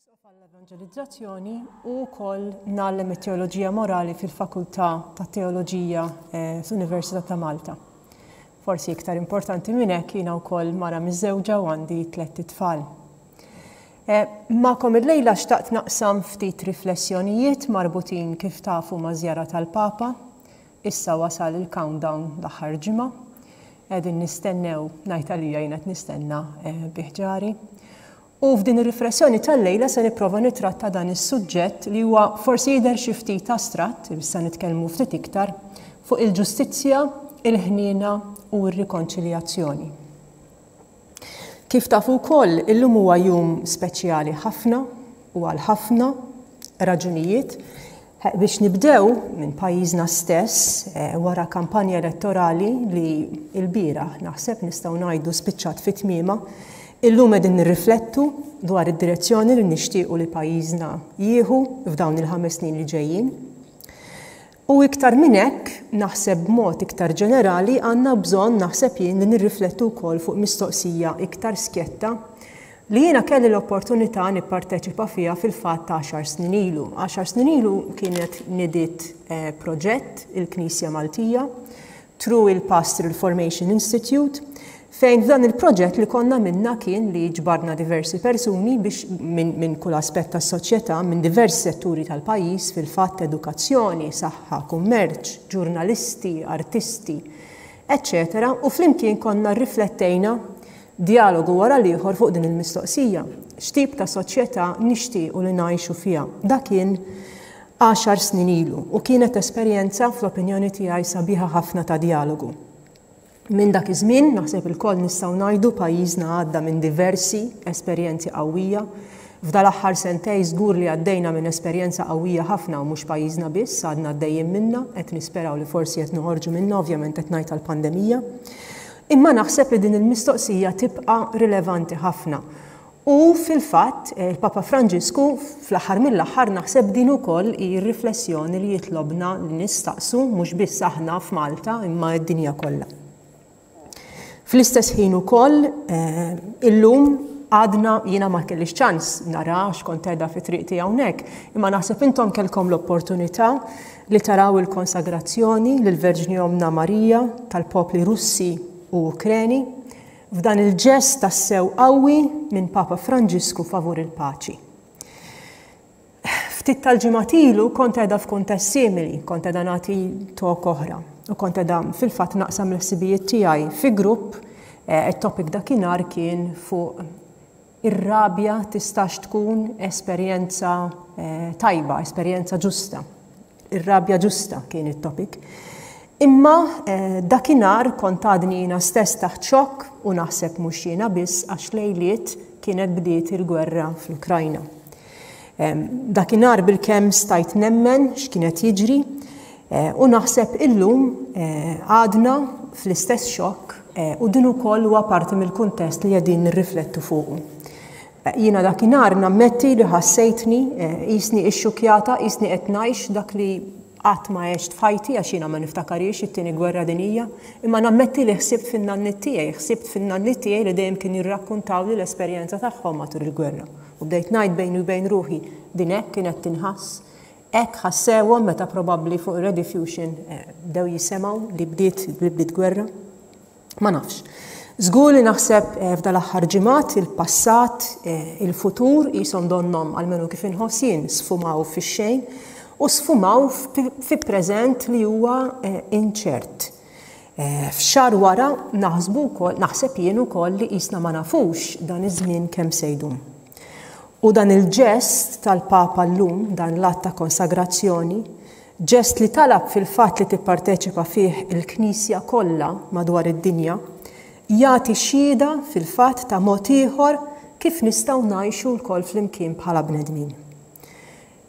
Isqof għall-Evanġelizzazzjoni u wkoll ngħallem it-Teoloġija Morali fil-Fakultà tat-Teoloġija fl-Università ta' Malta. Forsi iktar importanti minn hekk jiena wkoll mara miżżewġa u għandi tlett itfal. Magħkom illejla xtaqt naqsam ftit riflessjonijiet marbutin kif tafu maż-żjara tal-Papa. Issa wasal il-countdown l-aħħar ġimgħa. Qegħdin nistennew, ngħid għalija jien qed nistenna bi ħġari. U f'din ir-riflessjoni tal-lejla se nipprova nittratta dan is-suġġett li huwa forsi jidher xi ftit astratt, issa nitkellmu ftit iktar, fuq il-ġustizzja, il-ħniena u r-rikonċiljazzjoni. Kif tafu wkoll, illum huwa jum speċjali ħafna u għal ħafna raġunijiet. Biex nibdew minn pajjiżna stess, wara kampanja elettorali li lbieraħ naħseb nistgħu ngħidu spiċċat fi tmiemha, illum qegħdin nirriflettu dwar id-direzzjoni li nixtiequ li pajjiżna jieħu f'dawn il-ħames snin li ġejjin. U iktar minn hekk, naħseb b'mod iktar ġenerali għandna bżonn naħseb jien li nirriflettu wkoll fuq mistoqsija iktar skjetta Li jiena kelli l-opportunità nipparteċipa fiha fil-fatt għaxar snin ilu. Għaxar snin ilu kienet nidiet proġett il-Knisja Maltija through il-Pastoral Formation Institute fejn f'dan il-proġett li konna minna kien li ġbarna diversi persuni biex minn min kull aspett tas-soċjetà, minn diversi setturi tal-pajjiż, fil-fatt edukazzjoni, saħħa, kummerċ, ġurnalisti, artisti, eċċetera, u flimkien konna rriflettejna Djalogu wara l-ieħor fuq din il-mistoqsija, X'tip ta' soċjetà nixtiequ li ngħixu fiha? Dak kien għaxar snin ilu u kienet esperjenza, fl-opinjoni tiegħi, sabiħa ħafna ta' djalogu. Minn dak iż-żmien, naħseb ilkoll nistgħu ngħidu, pajjiżna għadda minn diversi esperjenzi qawwija. F'dal-aħħar sentejn żgur li għaddejna minn esperjenza qawwija ħafna u mhux pajjiżna biss, għadna għaddejjin minnha, qed nisperaw li forsi qed noħorġu minnha, ovvjament qed ngħid għall-pandemija. Imma naħseb li din il-mistoqsija tibqa' rilevanti ħafna. U fil-fatt, il-Papa Franġisku fl-aħħar mill-aħħar naħseb din ukoll hi r-riflessjoni li jitlobna li nistaqsu mhux biss aħna f'Malta imma d-dinja kollha. Fl-istess ħin ukoll illum għadna jiena ma kellix ċans nara għax kont qiegħda fi triqti hawnhekk, imma naħseb intom kellkom l-opportunità li taraw il-konsagrazzjoni lill-Verġni Ommna Marija tal-popli Russi u Ukreni f'dan il-ġest tassew qawwi minn Papa Franġisku favur il-paċi. Ftit tal-ġimgħat ilu kont qiegħda f'kuntest simili, kont qiegħda nagħti talk oħra u kont qiegħda fil-fatt naqsam l-ħsibijiet tiegħi fi grupp, it-topic dakinhar kien fuq ir-rabja tistax tkun esperjenza tajba, esperjenza ġusta. Ir-rabja ġusta kien it-topic. Imma dakinhar kont għadni jiena stess taħt xokk u naħseb mhux jiena biss għax lejliet kienet bdiet il-gwerra fl-Ukrajna. Dakinhar bilkemm stajt nemmen x'kien qed jiġri u naħseb illum għadna fl-istess xokk u din ukoll huwa parti mill-kuntest li qegħdin nirriflettu fuqu. Jiena dakinhar nammetti li ħassejtni qisni ixxukkjata, qisni qed ngħix dak li qatt ma għext f'ħajti għax jiena ma niftakarhiex it-Tieni Gwerra Dinjija, imma nammetti li ħsibt fin-nanniet tiegħi, ħsibt fin-nanniet tiegħi li dejjem kienu jirrakkuntawli l-esperjenza tagħhom matul il-gwerra. U bdejt ngħid bejni u bejn ruħi, din hekk kienet tinħass? Hekk ħassewhom meta probabbli fuq ir-Rediffusion bdew jisemgħu li bdiet li bdiet gwerra? Ma nafx. Żgur li naħseb f'dal-aħħar ġimgħat il-passat, il-futur qishom donnhom, almenu kif inħoss jien, sfumaw fix-xejn u sfumaw fi preżent li huwa inċert. F'xahar wara naħsbu wkoll, naħseb jien ukoll li qisna ma nafux dan iż-żmien kemm se jdum. U dan il-ġest tal-Papa llum, dan l-att ta' konsagrazzjoni, Ġest li talab fil-fatt li tipparteċipa fih il-Knisja kollha madwar id-dinja, jagħti xhieda fil-fatt ta' mod ieħor kif nistgħu ngħixu lkoll flimkien bħala bnedmin.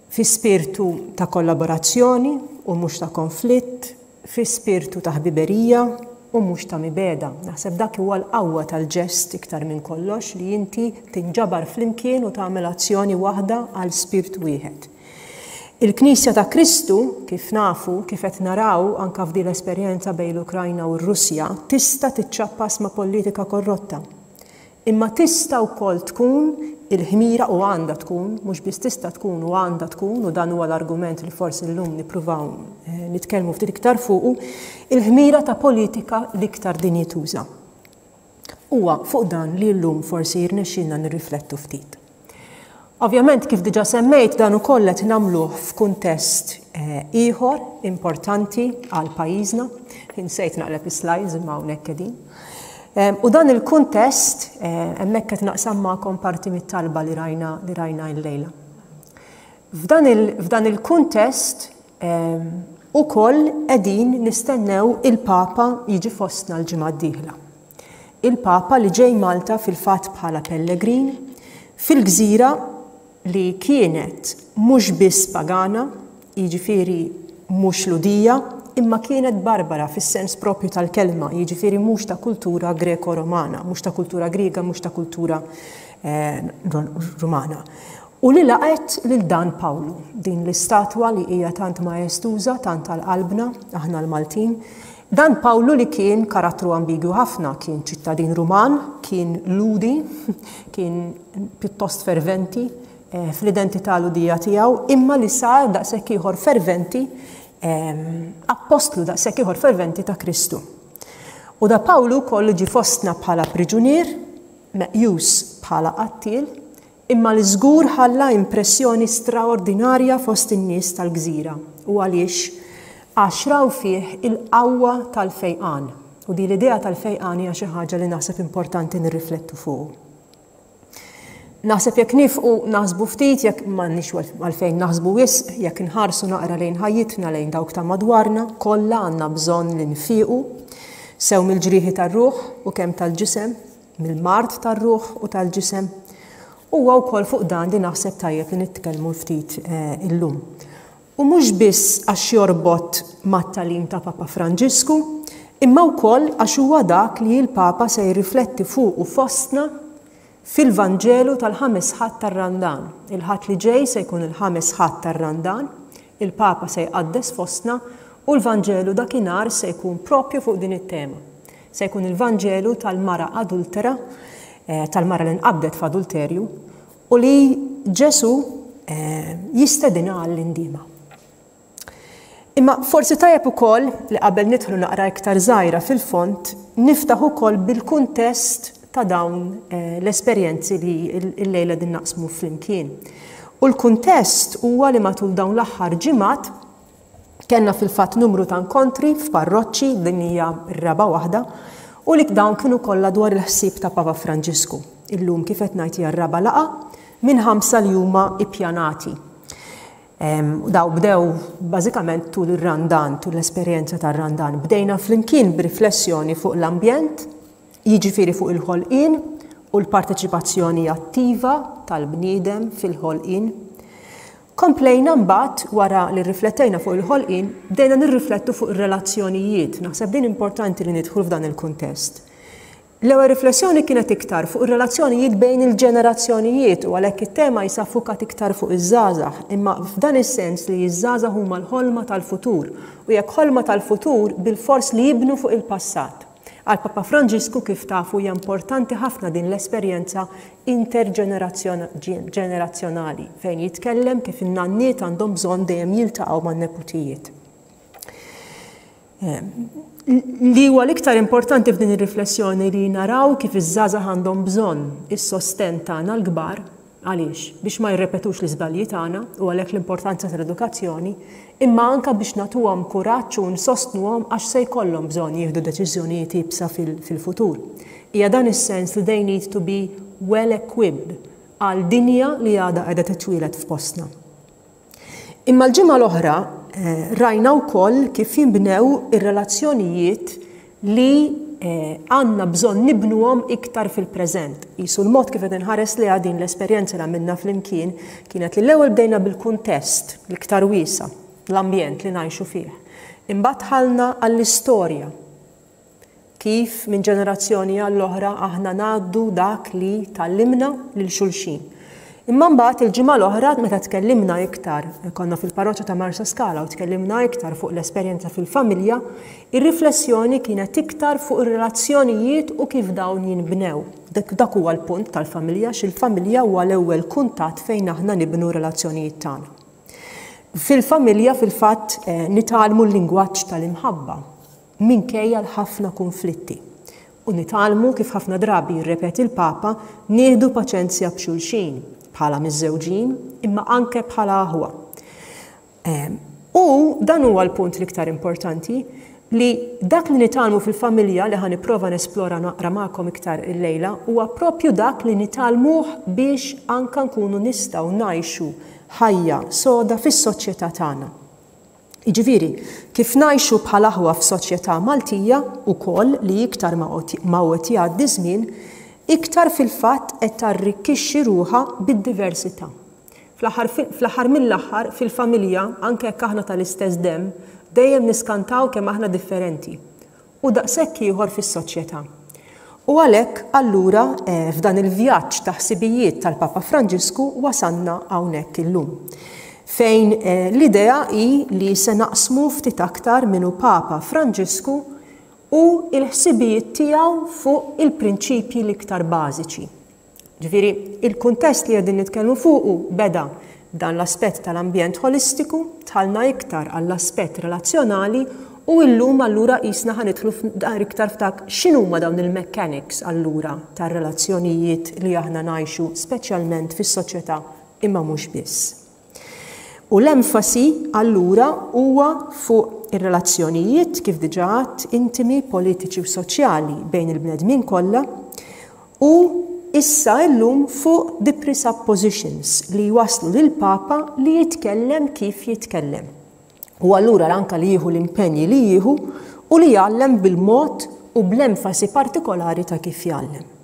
Fi spirtu ta' kollaborazzjoni u mhux ta' konflitt, fi spirtu ta' ħbiberija u mhux ta' mibegħda. Naħseb dak huwa l-qawwa tal-ġest iktar minn kollox li inti tinġabar flimkien u tagħmel azzjoni waħda għal spirtu wieħed. Il-Knisja ta' Kristu, kif nafu, kif qed naraw anke f'din l-esperjenza bejn l-Ukrajna u r-Russja, tista' tiċċappas ma' politika korrotta. Imma tista' wkoll tkun il-ħmira u għandha tkun, mhux biss tista' tkun u għandha tkun, u dan huwa l-argument li forsi llum nippruvaw nitkellmu ftit iktar fuqu, il-ħmira ta' politika l-iktar dinjituża. Huwa fuq dan li llum forsi jirnexxielna nirriflettu ftit. Ovvjament, kif diġà semmejt, dan ukoll qed nagħmluh f'kuntest ieħor importanti għal pajjiżna. Insejt naqleb is-slides imma hawnhekk qegħdin. U dan il-kuntest hemmhekk qed naqsam magħkom parti mit-talba li rajna li rajna llejla. F'dan il-kuntest ukoll qegħdin nistennew il-Papa jiġi fostna l-ġimgħa d-dieħla. Il-Papa li ġej Malta fil-fatt bħala pellegrin fil-gżira li kienet mhux biss pagana, jiġifieri mhux Lhudija, imma kienet barbara fis-sens proprju tal-kelma, jiġifieri mhux ta' kultura Greko-Romana, mhux ta' kultura Griega, mhux ta' kultura Rumana. U li laqgħet lil dan Pawlu, din l-istatwa li hija tant maestuża, tant għal qalbna, aħna l-Maltin. Dan Pawlu li kien karattru ambigwu ħafna, kien ċittadin Ruman, kien Lhudi, kien pjuttost ferventi eh, fl-identità Lhudija tiegħu, imma li sar daqshekk ieħor ferventi, eh, appostlu daqshekk ieħor ferventi ta' Kristu. U da Pawlu wkoll ġie fostna bħala priġunier, meqjus bħala qattiel, imma li żgur ħalla impressjoni straordinarja fost in-nies tal-gżira. U għaliex? Għax raw fih il-qawwa tal-fejqan. U din l-idea tal-fejqan hija xi ħaġa li naħseb importanti nirriflettu fuqu. Naħseb jekk nifqu naħsbu ftit, jekk m'għandniex għalfejn naħsbu wisq, jekk inħarsu naqra lejn ħajjitna, lejn dawk ta' madwarna, kollha għandna bżonn li nfiequ, sew mill-ġrieħi tar-ruħ u kemm tal-ġisem, mill-mard tar-ruħ u tal-ġisem. Huwa wkoll fuq dan li naħseb tajjeb li nitkellmu ftit illum. U mhux biss għax jorbot mat-tagħlim ta' Papa Franġisku, imma wkoll għax huwa dak li l-Papa se jirrifletti fuqu fostna fil-Vanġelu tal-ħames Ħadd tar-Randan. Il-Ħadd li ġej se jkun il-ħames Ħadd tar-Randan, il-Papa se jqaddes fostna u l-Vanġelu dakinhar se jkun propju fuq din it-tema. Se jkun il-Vanġelu tal-mara adultera, tal-mara li nqabdet f'adulterju, u li Ġesù jistedinha għall-indiema. Imma forsi tajjeb ukoll li qabel nidħlu naqra iktar żgħira fil-fond, niftaħ ukoll bil-kuntest ta' dawn l-esperjenzi li llejla din naqsmu flimkien. U l-kuntest huwa li matul dawn l-aħħar ġimgħat Kellna fil-fatt numru ta' nkontri f'parroċċi, din hija r-raba' waħda, u li dawn kienu kollha dwar il-ħsieb ta' Papa Franġisku. Illum kif qed ngħid hija r-raba' laqgħa minn ħamsa li huma ippjanati. Daw bdew bażikament tul ir-Randan, tul l-esperjenza tar-Randan. Bdejna flimkien b'riflessjoni fuq l-ambjent, jiġifieri fuq il-ħolqien u l-parteċipazzjoni attiva tal-bniedem fil-ħolqien. Komplejna mbagħad, wara li rriflettejna fuq il-ħolqien, bdejna nirriflettu fuq ir-relazzjonijiet. Naħseb din importanti li nidħlu f'dan il-kuntest. L-ewwel riflessjoni kienet iktar fuq ir-relazzjonijiet bejn il-ġenerazzjonijiet u għalhekk it-tema jisa ffukat iktar fuq iż-żgħażagħ, imma f'dan is-sens li ż-żgħażagħ huma l-ħolma tal-futur u jekk ħolma tal-futur bilfors li jibnu fuq il-passat. Għal Papa Franġisku kif tafu hija importanti ħafna din l-esperjenza interġenerazzjonali fejn jitkellem kif in-nanniet għandhom bżonn dejjem jiltaqgħu man-neputijiet. Li huwa l-iktar importanti f'din ir-riflessjoni li naraw kif iż-żgħażagħ għandhom bżonn is-sostenn tagħna l-kbar Għaliex? Biex ma jirrepetux l-iżbalji tagħna, u għalhekk l-importanza tal-edukazzjoni, imma anke biex nagħtuhom kuraġġ u nsostnuhom għax se jkollhom bżonn jieħdu deċiżjonijiet iebsa fil-futur. Hija dan is-sens li they need to be well equipped għal dinja li għadha qiegħda titwieled f'postna. Imma l-ġimgħa l-oħra rajna wkoll kif jinbnew ir-relazzjonijiet li għandna bżonn nibnuhom iktar fil-preżent. Qisu l-mod kif qed inħares lejha din l-esperjenza li għamilna flimkien kienet li l-ewwel bdejna bil-kuntest l-iktar wiesa', l-ambjent li ngħixu fih. Imbagħad dħalna għall-istorja. Kif minn ġenerazzjoni għall-oħra aħna ngħaddu dak li tgħallimna lil xulxin. Imma mbagħad il-ġimgħa l-oħra meta tkellimna iktar, konna fil-parroċċa ta' Marsaskala u tkellimna iktar fuq l-esperjenza fil-familja, ir-riflessjoni kienet iktar fuq ir-relazzjonijiet u kif dawn jinbnew. Dak huwa l-punt tal-familja, għax il-familja huwa l-ewwel kuntatt fejn aħna nibnu relazzjonijiet tagħna. Fil-familja fil-fatt nitgħallmu l-lingwaġġ tal-imħabba minkejja l-ħafna kunflitti. U nitgħallmu, kif ħafna drabi jirrepeti l-Papa, nieħdu paċenzja b'xulxin, bħala miżżewġin, imma anke bħala aħwa. U dan huwa l-punt l-iktar importanti, li dak li nitgħallmu fil-familja li ħa nipprova nesplora naqra magħkom iktar illejla huwa propju dak li nitgħallmuh biex anke nkunu nistgħu ngħixu ħajja soda fis-soċjetà tagħna. Jiġifieri, kif ngħixu bħal aħwa f'soċjetà Maltija wkoll li iktar ma hu qed jgħaddi żmien, iktar fil-fatt qed tarrikkixxi ruħha bid-diversità. Fl-aħħar fl-aħħar mill-aħħar, fil-familja, anke jekk aħna tal-istess demm, dejjem niskantaw kemm aħna differenti. U daqshekk ieħor fis-soċjetà. U għalhekk, allura, f'dan il-vjaġġ ta' ħsibijiet tal-Papa Franġisku wasalna hawnhekk illum. Fejn l-idea hi li se naqsmu ftit aktar min hu Papa Franġisku u l-ħsibijiet tiegħu fuq il-prinċipji l-iktar bażiċi. Ġifieri, il-kuntest li qegħdin nitkellmu fuqu beda b'dan l-aspett tal-ambjent ħolistiku, dħalna iktar għall-aspett relazzjonali u illum allura qisna ħa nidħlu iktar f'dak x'inhuma dawn il-mechanics allura tar-relazzjonijiet li aħna ngħixu speċjalment fis-soċjetà imma mhux biss. U l-enfasi allura huwa fuq ir-relazzjonijiet, kif diġà għedt, intimi, politiċi u soċjali bejn il-bnedmin kollha u issa illum fuq the presuppositions li jwasslu lill-Papa li jitkellem kif jitkellem. U allura anke li jieħu l-impenji li jieħu u li jgħallem bil-mod u bl-enfasi partikolari ta' kif jgħallem.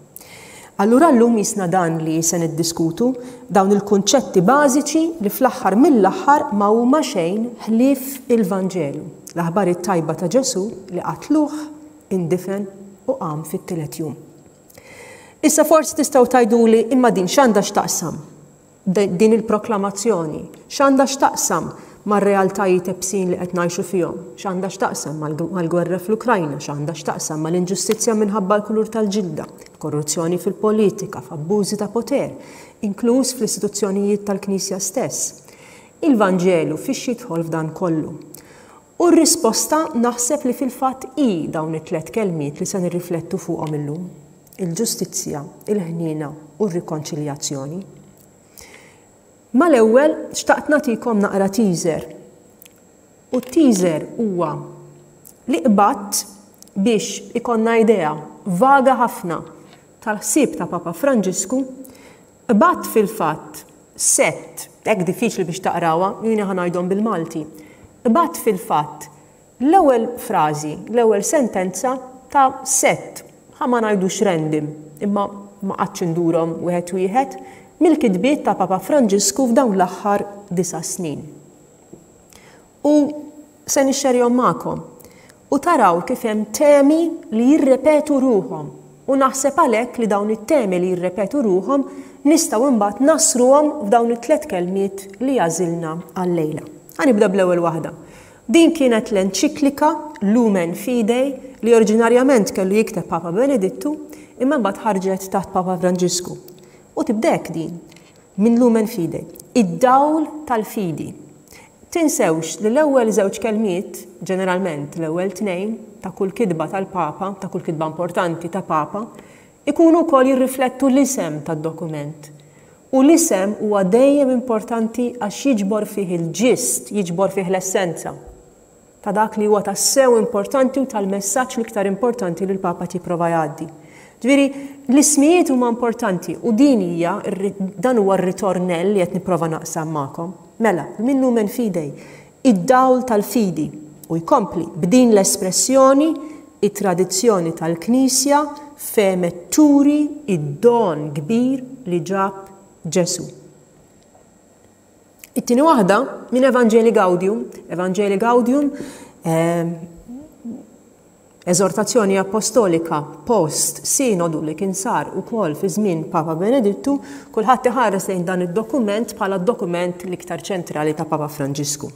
Allura llum jisna dan li se niddiskutu, dawn il-kunċetti bażiċi li fl-aħħar mill-aħħar ma huma xejn ħlief il-Vanġelu, l-aħbar it-tajba ta' Ġesù li qatluh, indifen u qam fit-tielet jum. Issa forsi tistgħu tgħiduli imma din x'għandha x'taqsam? Din il-proklamazzjoni x'għandha x'taqsam mar-realtajiet ebsin li qed ngħixu fihom? X'għandha x'taqsam mal-gwerra fl-Ukrajna? X'għandha x'taqsam mal-inġustizzja minħabba l-kulur tal-ġilda, korruzzjoni fil-politika, f'abbużi ta' poter, inkluż fl-istituzzjonijiet tal-Knisja stess? Il-Vanġelu fiex jidħol f'dan kollu? U r-risposta naħseb li fil-fatt hi dawn it-tlett kelmiet li se nirriflettu fuqhom illum. Il-ġustizzja, il-ħniena u r-rikonċiljazzjoni. Mal-ewwel xtaqt nagħtikom naqra teaser. U t-teaser huwa li qbadt biex ikollna idea vaga ħafna tal-ħsieb ta' Papa Franġisku, qbadt fil-fatt sett, hekk diffiċli biex taqrawha, jiena ħa ngħidhom bil-Malti, qbadt fil-fatt L-ewwel frażi, l-ewwel sentenza ta' sett, ħa ma ngħidux random, imma ma qgħadtx indurhom wieħed wieħed, mill-kitbiet ta' Papa Franġisku f'dawn l-aħħar disa' snin. U se nixxerjhom magħkom. U taraw kif hemm temi li jirrepetu ruħhom. U naħseb għalhekk li dawn it-temi li jirrepetu ruħhom nistgħu imbagħad nassruhom f'dawn it-tliet kelmiet li għażilna għal-lejla. Ħa nibda bl-ewwel waħda. Din kienet l-enċiklika Lumen Fidei li oriġinarjament kellu jikteb Papa Benedittu imma mbagħad ħarġet taħt Papa Franġisku. U tibda hekk din, minn Lumen Fidei, id-dawl tal-fidi. Tinsewx li l-ewwel żewġ kelmiet, ġeneralment l-ewwel tnejn, ta' kull kitba tal-Papa, ta' kull kitba importanti ta' Papa, ikunu wkoll jirriflettu l-isem tad-dokument. U l-isem huwa dejjem importanti għax jiġbor fih il-ġist, jiġbor fih l-essenza ta' dak li huwa tassew importanti u tal-messaġġ l-iktar importanti li l-Papa qed jipprova jgħaddi. Ġifieri, l-ismijiet huma importanti u din hija dan huwa r-ritornell li qed nipprova naqsam magħkom. Mela, min lumen fidei, id-dawl tal-fidi. U jkompli b'din l-espressjoni It-tradizzjoni tal-Knisja fehmet turi d-don kbir li ġab Ġesù. It-tieni waħda minn Evangelii Gaudium, Evangelii Gaudium, eżortazzjoni apostolika post sinodu li kien sar ukoll fi żmien Papa Benedittu, kulħadd iħares lejn dan id-dokument bħala d-dokument l-iktar ċentrali ta' Papa Franġisku.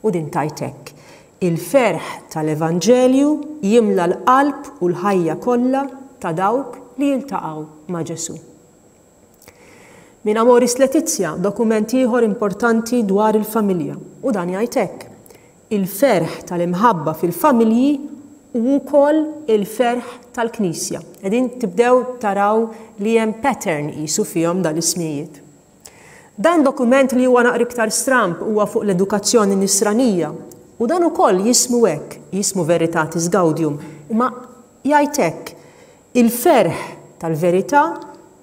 U din tgħid hekk, Il-ferħ tal-Evanġelju jimla l-qalb u l-ħajja kollha ta' dawk li jiltaqgħu ma' Ġesù. Minn Amoris Laetitia, dokument ieħor importanti dwar il-familja, u dan jgħid hekk, Il-ferħ tal-imħabba fil-familji hu wkoll il-ferħ tal-Knisja. Qegħdin tibdew taraw li hemm pattern qisu fihom dal-ismijiet. Dan dokument li huwa naqra iktar stramb huwa fuq l-edukazzjoni nisranija u dan ukoll jismu hekk, jismu Veritatis Gaudium, imma jgħid hekk, Il-ferħ tal-verità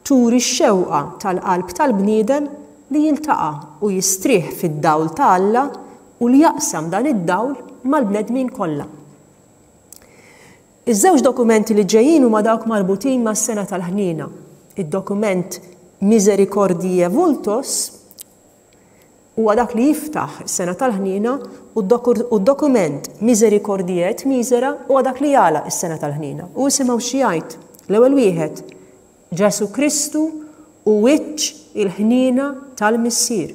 turi x-xewqa tal-qalb tal-bniedem li jiltaqa' u jistrieħ fid-dawl ta' Alla u li jaqsam dan id-dawl mal-bnedmin kollha. Iż-żewġ dokumenti li ġejjin huma dawk marbutin mas-Sena tal-Ħniena, id-dokument Misericordiae Vultus huwa dak li jiftaħ is-Sena tal-Ħniena u d-dokument Misericordiae et Misera huwa dak li jagħlaq is-Sena tal-Ħniena. U isimgħu xi jgħid. L-ewwel wieħed, Ġesù Kristu hu wiċċ il-ħniena tal-Missier.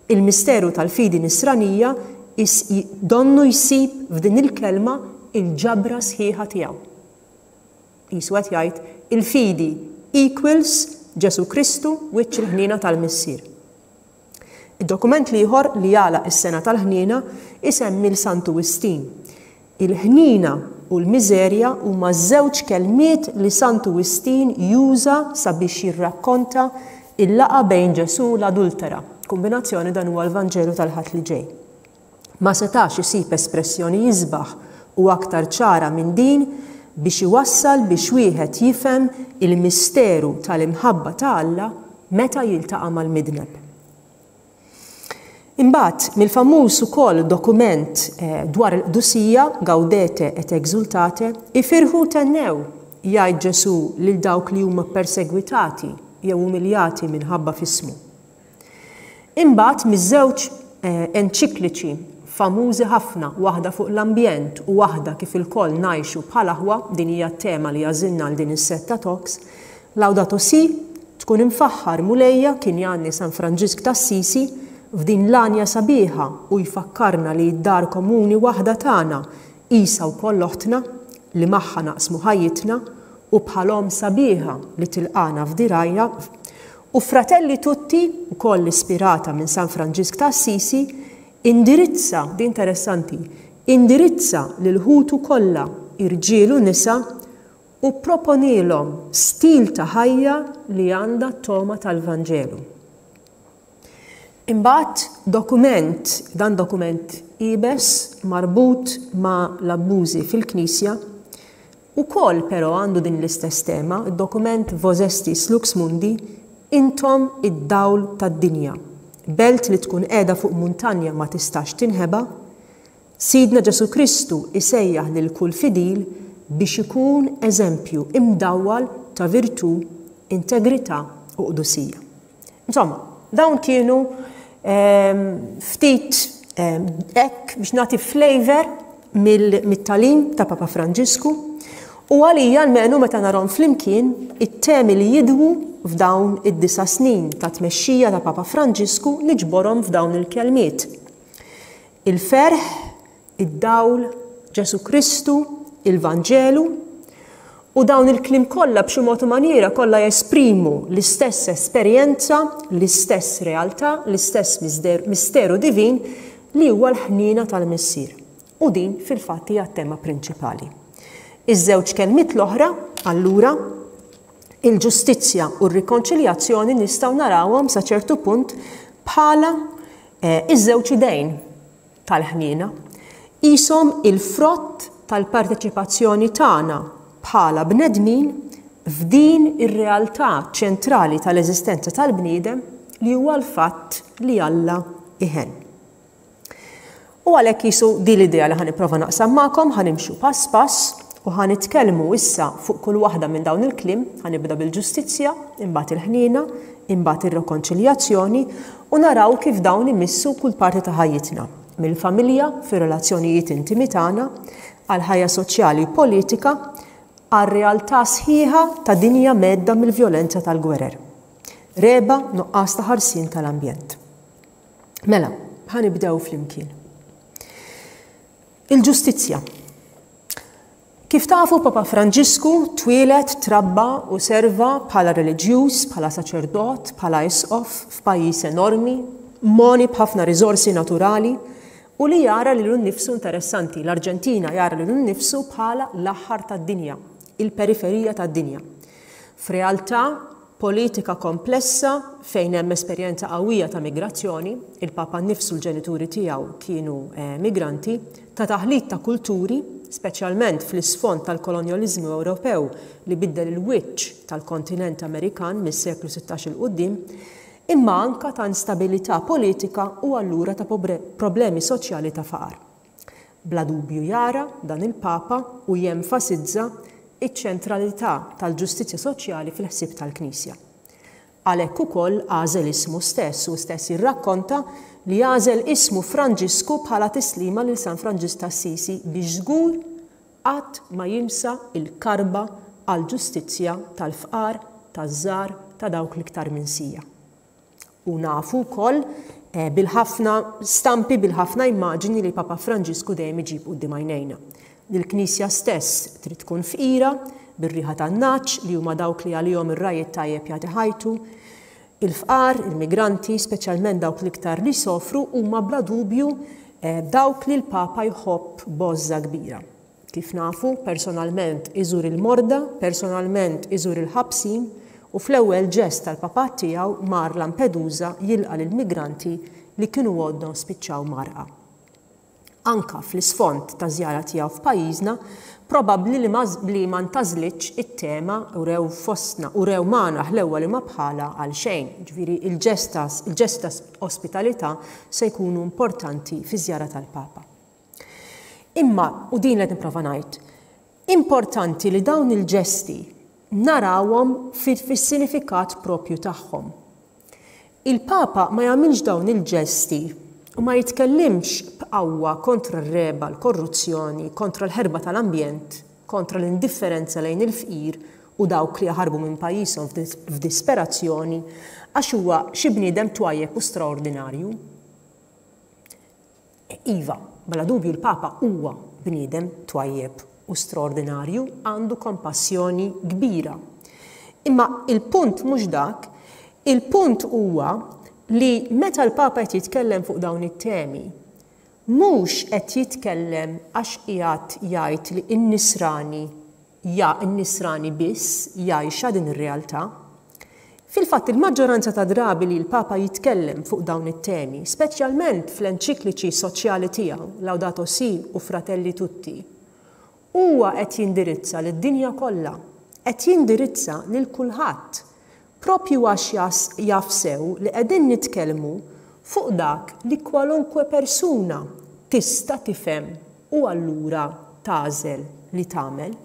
Il-misteru tal-fidi nisranija donnu jsib f'din il-kelma il-ġabra sħiħa tiegħu. Qisu qed jgħid, il-fidi equals Ġesù Kristu wiċċ il-ħniena tal-Missier. Id-dokument l-ieħor li jagħlaq is-Sena tal-Ħniena isemmi 'l Santu Wistin. Il-ħniena u l-miżerja huma żewġ kelmiet li Santu Wistin juża sabiex jirrakkonta l-laqgħa bejn Ġesù u l-adultera. Kumbinazzjoni dan huwa l-Vanġelu tal-Ħadd li ġej. Ma setax isib espressjoni isbaħ u aktar ċara minn din biex iwassal biex wieħed jifhem il-misteru tal-imħabba ta' Alla meta jiltaqa' mal-midneb. Imbagħad, mill-famuż ukoll dokument dwar il-qdusija, Gaudete et Exultate, Ifirħu u thennew, jgħid Ġesù lil dawk li huma ppersegwitati jew umiljati minħabba f'ismu. Imbagħad miż-żewġ enċikliċi famużi ħafna, waħda fuq l-ambjent u waħda kif ilkoll ngħixu bħal aħwa, din hija t-tema li għażilna għal din is-sett ta' talks, Laudato Si', Tkun imfaħħar Mulejja, kien jgħanni San Franġisk t'Assisi f'din l-għanja sabiħa u jfakkarna li d-dar komuni waħda tagħna qisha wkoll oħtna li magħha naqsmu ħajjitna u bħal omm sabiħa li tilqagħna f'dirgħajha U Fratelli Tutti, ukoll ispirata minn San Franġisk ta' Assisi, indirizza, din interessanti, indirizza lil ħutu kollha, irġiel u nisa, u pproponielhom stil ta' ħajja li għandha t-togħma tal-Vanġelu. Imbagħad dokument, dan dokument iebes marbut ma' l-abbużi fil-Knisja, ukoll però għandu din l-istess tema, id-dokument Vos estis lux mundi, Intom id-dawl tad-dinja. Belt li tkun qiegħda fuq muntanja ma tistax tinħeba, Sidna Ġesù Kristu jsejjaħ lil kull fidil biex ikun eżempju imdawwal ta' virtù, integrità u qdusija. Insomma, dawn kienu ftit hekk biex nagħti flavour mit-tagħlim ta' Papa Franġisku u għalija almenu meta narhom flimkien it-temi li jidwu f'dawn id-disa' snin ta' tmexxija ta' Papa Franġisku niġborhom f'dawn il-kelmiet. Il-ferħ, id-dawl, Ġesù Kristu, il-Vanġelu, u dawn il-kliem kollha b'xi mod u manjiera kollha jesprimu l-istess esperjenza, l-istess realtà, l-istess misteru divin li huwa l-ħniena tal-Missier. U din fil-fatt hija t-tema prinċipali. Iż-żewġ kelmiet l-oħra, allura, il-ġustizzja u r-rikonċiljazzjoni nistgħu narawhom sa ċertu punt bħala iż-żewġ idejn tal-ħniena qishom il-frott tal-parteċipazzjoni tagħna bħala bnedmin f'din ir-realtà ċentrali tal-eżistenza tal-bniedem li huwa l-fatt li Alla iħenn. U għalhekk qisu din l-idea li ħa nipprova naqsam magħkom, ħa nimxu pass pass u ħa nitkellmu issa fuq kull waħda minn dawn il-kliem, ħa nibda bil-ġustizzja, imbagħad il-ħniena, imbagħad ir-rikonċiljazzjoni u naraw kif dawn imissu kull parti ta' ħajjitna, mill-familja fir-relazzjonijiet intimi tagħna, għall-ħajja soċjali u politika, għar-realtà sħiħa ta' dinja mhedda mill-vjolenza tal-gwerer, regħba, nuqqas ta' ħarsien tal-ambjent. Mela, ħa nibdew flimkien. Il-ġustizzja. Kif tafu Papa Franġisku twieled, trabba u serva bħala reliġjuż, bħala saċerdot, bħala isqof f'pajjiż enormi, mogħni b'ħafna riżorsi naturali u li jara lilu nnifsu interessanti, l-Arġentina jara lilu nnifsu bħala l-aħħar tad-dinja, il-periferija tad-dinja. F'realtà politika komplessa fejn hemm esperjenza qawwija ta' migrazzjoni, il-Papa nnifsu l-ġenituri tiegħu kienu migranti, ta' taħlit ta' kulturi, speċjalment fl-isfond tal-kolonjaliżmu Ewropew li biddel il-wiċċ tal-kontinent Amerikan mis-seklu 16 'il quddiem, imma anka ta' instabilità politika u allura ta' problemi soċjali ta' faqar. Bla dubju jara dan il-Papa u jenfasizza ċ-ċentralità tal-ġustizzja soċjali fil-ħsieb tal-Knisja. Għalhekk ukoll għażel ismu stess, hu stess jirrakkonta li għażel ismu Franġisku bħala tislima lil San Franġisk t'Assisi biex żgur qatt ma jinsa l-karba għall-ġustizzja tal-fqar, taż-żgħar, ta' dawk l-iktar minsija. U nafu wkoll bil-ħafna stampi, bil-ħafna immaġini li Papa Franġisku dejjem iġib quddiem għajnejna. Li l-Knisja stess trid tkun fqira, bir-riħa tan-nagħaġ li huma dawk li għalihom ir-ragħaj it-tajjeb jagħti ħajtu. Il-fqar, il-migranti, speċjalment dawk l-iktar li jsofru, huma bla dubju dawk li l-Papa jħobb b'għożża kbira. Kif nafu, personalment iżur il-morda, personalment iżur il-ħabsin u fl-ewwel ġest tal-papat tiegħu mar Lampedusa jilqa' lill-migranti li kienu għoddhom spiċċaw mgħarrqa. Anka fl-isfond taż-żjara tiegħu f'pajjiżna, probabbli li ma li ma ntgħażlitx it-tema Urew fostna, urew magħna ħlewwa li ma bħalha għal xejn. Jiġifieri l-ġest ta' il-ġesti ta' ospitalità se jkunu importanti fiż-żjara tal-Papa. Imma, u din li qed nipprova ngħid, importanti li dawn il-ġesti narawhom fis-sinifikat proprju tagħhom. Il-Papa ma jagħmilx dawn il-ġesti u ma jitkellimx b'qawwa kontra r-regħba, l-korruzzjoni, kontra l-ħerba tal-ambjent, kontra l-indifferenza lejn il-fqir u dawk li jaħarbu minn pajjiżhom f'disperazzjoni għax huwa xi bniedem twajjeb u straordinarju. Iva, bla dubju l-Papa huwa bniedem twajjeb u straordinarju, għandu kompassjoni kbira. Imma il-punt mhux dak, il-punt huwa li meta l-Papa qed jitkellem fuq dawn it-temi, mhux qed jitkellem għax qiegħed jgħid li n-Nisrani Ja n-Nisrani biss jgħixha din ir-realtà. Fil-fatt il-maġġoranza ta' drabi li l-Papa jitkellem fuq dawn it-temi, speċjalment fl-enċikliċi soċjali tiegħu, Laudato Si u Fratelli Tutti, huwa qed jindirizza lid-dinja kollha, qed jindirizza lil kulħadd, proprju għax jaf sew li qegħdin nitkellmu fuq dak li kwalunkwe persuna tista' tifhem u allura tagħżel li tagħmel.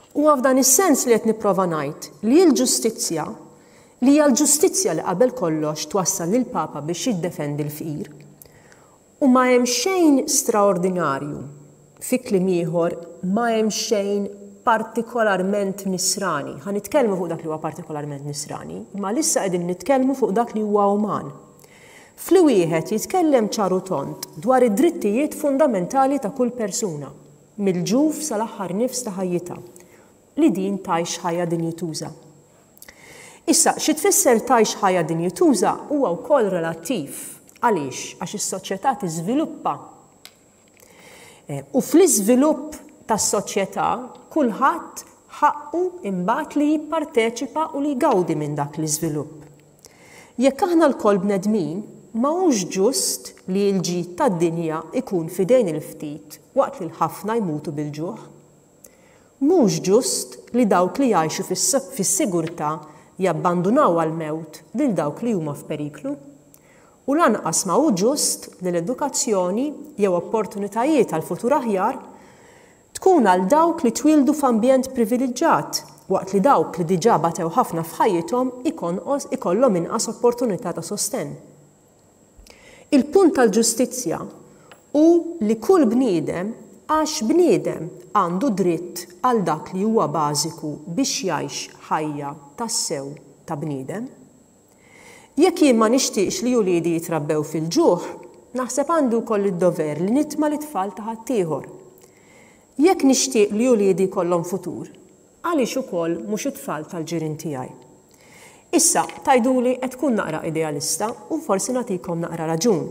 Huwa f'dan is-sens li qed nipprova ngħid li l-ġustizzja, li hija l-ġustizzja li qabel kollox twassal lill-Papa biex jiddefendi l-fqir, u ma hemm xejn straordinarju, fi kliem ieħor ma hemm xejn partikolarment nisrani. Ħa nitkellmu fuq dak li huwa partikolarment nisrani, imma għalissa qegħdin nitkellmu fuq dak li huwa uman. F'li wieħed jitkellem ċar u tond dwar id-drittijiet fundamentali ta' kull persuna, mill-ġuf sal-aħħar nifs ta' ħajjitha, li din tgħix ħajja dinjituża. Issa, xi tfisser tgħix ħajja dinjituża huwa wkoll relattiv. Għaliex? Għax is-soċjetà tiżviluppa. U fl-iżvilupp tas-soċjetà kulħadd ħaqqu imbagħad li jipparteċipa u li jgawdi minn dak l-iżvilupp. Jekk aħna lkoll bnedmin, ma hux ġust li l-ġid tad-dinja jkun f'idejn il-ftit waqt li l-ħafna jmutu bil-ġuħ. Mhux ġust li dawk li jgħixu fis-sigurtà jabbandunaw għall-mewt lil dawk li huma f'periklu. U lanqas ma hu ġust li l-edukazzjoni jew opportunitajiet għal futur aħjar tkun għal dawk li twieldu f'ambjent priviliġġat waqt li dawk li diġà batew ħafna f'ħajjithom ikonqos ikollhom inqas opportunità ta' sostenn. Il-punt tal-ġustizzja hu li kull bniedem għax bniedem għandu dritt għal dak li huwa bażiku biex jgħix ħajja tassew ta' bniedem. Jekk jien ma nixtieqx li uliedi jitrabbew fil-ġuħ, naħseb għandi wkoll id-dover li nitma' lit-tfal ta' ħaddieħor. Jekk nixtieq li uliedi jkollhom futur, għaliex ukoll mhux it-tfal tal-ġirien tiegħi? Issa, tgħiduli qed tkun naqra idealista u forsi nagħtikom naqra raġun.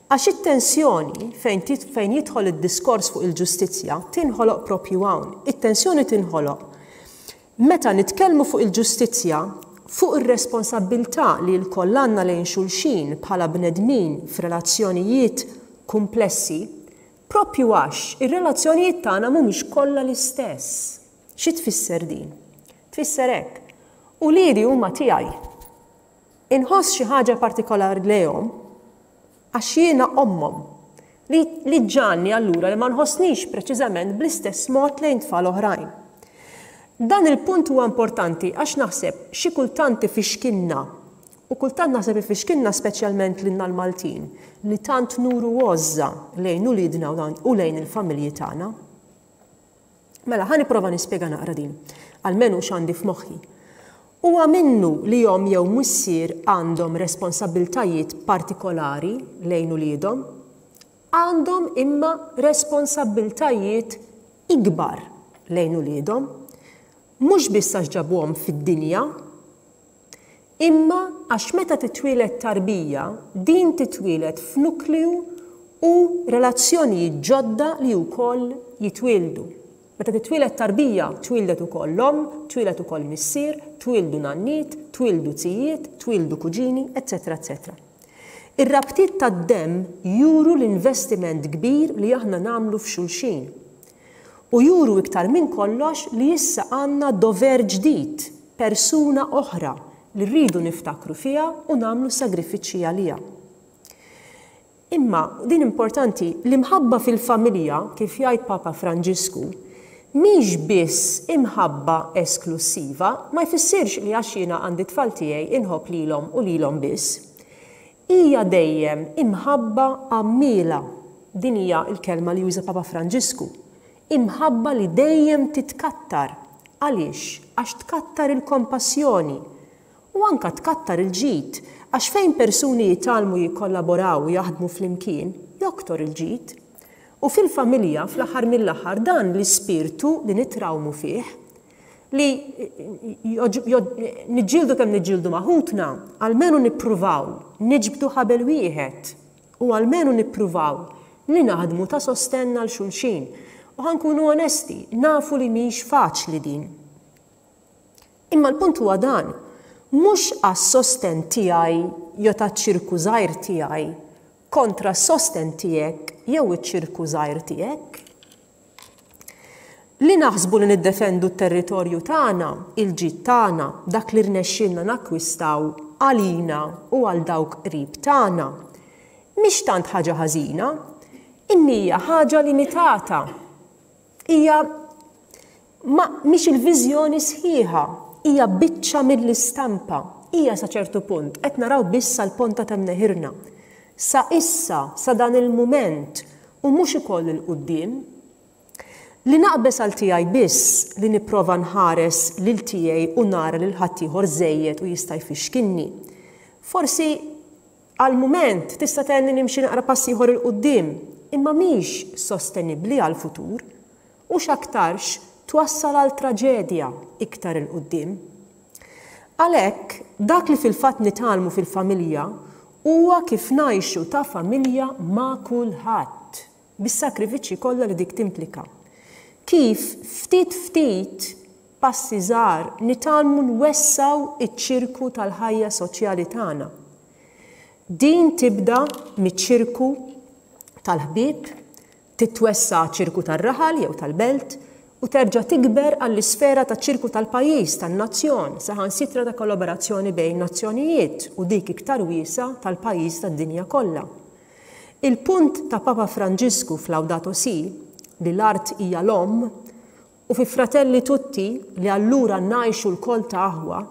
Għax it-tensjoni fejn fejn jidħol id-diskors fuq il-ġustizzja tinħoloq proprju hawn. It-tensjoni tinħoloq meta nitkellmu fuq il-ġustizzja, fuq ir-responsabbiltà li lkoll għandna lejn xulxin bħala bnedmin f'relazzjonijiet kumplessi, Proprju għax ir-relazzjonijiet tagħna mhumiex kollha l-istess. Xi tfisser din? Tfisser hekk, Uliedi huma tiegħi. Inħoss xi ħaġa partikolari lejhom għax jiena ommhom, li li ġġagħalni allura li ma nħossnix preċiżament bl-istess mod lejn tfal oħrajn. Dan il-punt huwa importanti għax naħseb xi kultant ifixkilna U kultant naħseb ifixkilna speċjalment lilna l-Maltin li tant nuru għożża lejn uliedna u lejn il-familji tagħna. Mela, ħa nipprova nispjega naqra din, almenu x'għandi f'moħħi. Huwa minnu li omm jew missier għandhom responsabbiltajiet partikolari lejn uliedhom, għandhom imma responsabbiltajiet ikbar lejn uliedhom, mhux biss għax ġabuhom fid-dinja, Imma għax meta titwieled tarbija, din titwieled f'nukleu u relazzjonijiet ġodda li wkoll jitwieldu. Meta titwieled tarbija, twieldet ukoll l-omm, twieled ukoll missier, twieldu nanniet, twieldu zijiet, twieldu kuġini, eċċetera eċċetera. Ir-rabtiet tad-demm juru l-investiment kbir li aħna nagħmlu f'xulxin. U juru iktar minn kollox li issa għandna dover ġdid, persuna oħra li rridu niftakru fiha u nagħmlu sagrifiċċji għaliha. Imma, din importanti, l-imħabba fil-familja, kif jgħid Papa Franġisku, mhix biss imħabba esklussiva, ma jfissirx li għax jiena għandi t-tfal tiegħi inħobb lilhom u lilhom biss. Hija dejjem imħabba għammiela, din hija l-kelma li juża Papa Franġisku, imħabba li dejjem titkattar. Għaliex? Għax tkattar il-kompassjoni u anka tkattar il-ġid, għax fejn persuni jitgħallmu jikkollaboraw u jaħdmu flimkien, joktor il-ġid. U fil-familja, fl-aħħar mill-aħħar, dan l-ispirtu li nitrawmu fih, li niġġieldu kemm niġġieldu ma' ħutna, almenu nippruvaw niġbdu ħabel wieħed u almenu nippruvaw li naħdmu ta' sostenn għal xulxin. U ħa nkunu onesti, nafu li mhix faċli din. Imma l-punt huwa dan, mhux għas-sostenn tiegħi jew taċ-ċirku żgħir tiegħi kontra s-sostenn tiegħek jew iċ-ċirku żgħir tiegħek. Li naħsbu li niddefendu t-territorju tagħna, il-ġid tagħna, dak li rnexxielna nakkwistaw għalina u għal dawk qrib tagħna, mhix tant ħaġa ħażina, imma hija ħaġa limitata. Hija ma mhix il-viżjoni sħiħa, hija biċċa mill-istampa. Hija sa ċertu punt qed naraw biss sal-ponta ta' mneħirna. Sa issa, sa dan il-mument, u mhux ukoll 'il quddiem. Li naqbeż għal tiegħi biss, li nipprova nħares lil tiegħi u nara lil ħaddieħor żejjed u jista' jfixkilni. Forsi għall-mument tista' tgħinni nimxi naqra pass ieħor 'il quddiem, imma mhix sostenibbli għall-futur u x'aktarx twassal għal traġedja iktar 'il quddiem. Għalhekk, dak li fil-fatt nitgħallmu fil-familja huwa kif ngħixu ta' familja ma' kulħadd, bis-sagrifiċċji kollha li dik timplika. Kif, ftit ftit, passi żgħar, nitgħallmu nwessgħu ċ-ċirku tal-ħajja soċjali tagħna. Din tibda miċ-ċirku tal-ħbieb, Titwessa' għaċ-ċirku tar-raħal jew tal-belt u terġa' tikber għall-isfera taċ-ċirku tal-pajjiż, tan-nazzjon, saħansitra ta' kollaborazzjoni bejn nazzjonijiet u dik iktar wiesgħa tal-pajjiżi tad-dinja kollha. Il-punt ta' Papa Franġisku f'Laudato Si', li l-art hija l-omm, u fi Fratelli Tutti, li allura ngħixu lkoll ta' aħwa,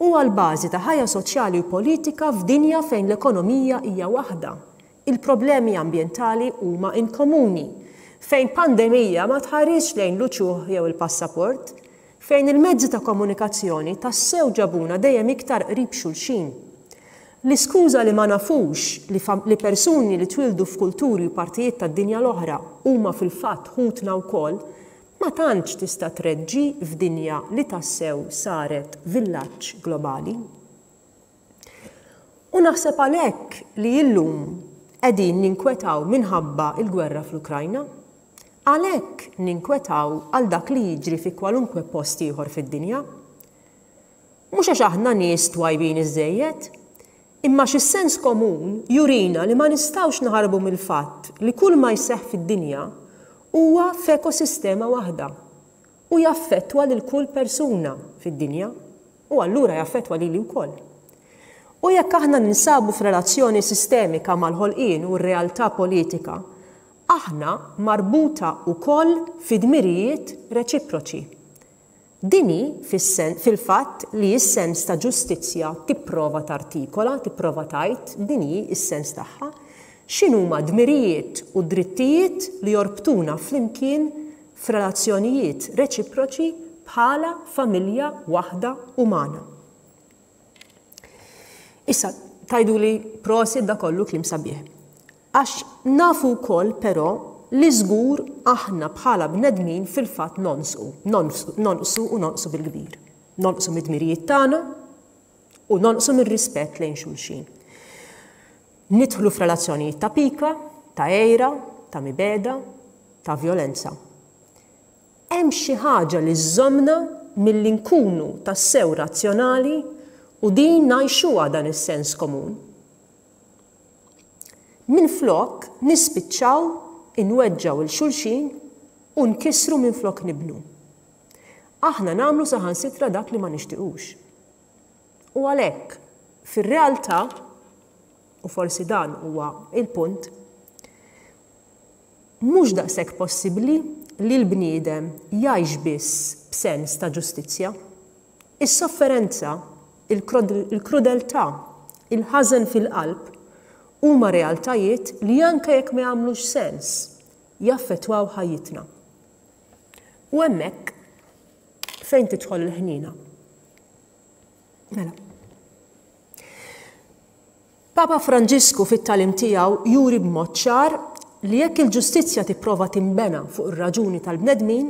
huwa l-bażi ta' ħajja soċjali u politika f'dinja fejn l-ekonomija hija waħda, il-problemi ambjentali huma in komuni, fejn pandemija ma tħarisx lejn l-uċuħ jew il-passaport, fejn il-mezzi ta' komunikazzjoni tassew ġabuna dejjem iktar qrib xulxin. L-iskuża li ma nafux li li persuni li twieldu f'kulturi u partijiet tad-dinja l-oħra huma fil-fatt ħutna wkoll ma tantx tista' treġġi f'dinja li tassew saret villaġġ globali. U naħseb għalhekk li illum qegħdin ninkwetaw minħabba l-gwerra fl-Ukrajna. Għalhekk ninkwetaw għal dak li jiġri fi kwalunkwe post ieħor fid-dinja. Mhux għax aħna nies twajbin iżżejjed, imma għax is-sens komun jurina li ma nistgħux naħarbu mill-fatt li kull ma jseħħ fid-dinja huwa f'ekosistema waħda u jaffettwa lil kull persuna fid-dinja u allura jaffettwa lili wkoll. U jekk aħna ninsabu f'relazzjoni sistemika mal-ħolqien u r-realtà politika, aħna marbuta wkoll fi dmirijiet reċiproċi. Din hi, fil-fatt, li s-sens ta' ġustizzja tipprova tartikola, tipprova tgħid, din hi s-sens tagħha, x'inhuma d-dmirijiet u d-drittijiet li jorbtuna flimkien f'relazzjonijiet reċiproċi bħala familja waħda umana. Issa, tgħiduli prosit da kollu kliem sabiħ. Għax nafu wkoll però li żgur aħna bħala bnedmin fil-fatt nonqsu, nonqsu u nonqsu bil-kbir. Nonqsu mid-dmirijiet tagħna u nonqsu mir-rispett lejn xulxin. Nidħlu f'relazzjonijiet ta' pika, ta' għira, ta' mibegħda, ta' vjolenza. Hemm xi ħaġa li żżommna milli nkunu tassew razzjonali u din ngħixuha dan is-sens komun. Minflok nispiċċaw inweġġgħu 'l xulxin u nkissru minflok nibnu. Aħna nagħmlu saħansitra dak li ma nixtiqux. U għalhekk, fir-realtà, u forsi dan huwa l-punt, mhux daqshekk possibbli li l-bniedem jgħix biss b'sens ta' ġustizzja. Is-sofferenza, il-krudeltà, il-ħażen fil-qalb huma realtajiet li anke jekk ma jagħmlux sens, jaffettwaw ħajjitna. U hemmhekk fejn tidħol il-ħniena. Mela. Papa Franġisku fit-tagħlim tiegħu juri b'mod ċar li jekk il-ġustizzja tipprova tinbena fuq ir-raġuni tal-bnedmin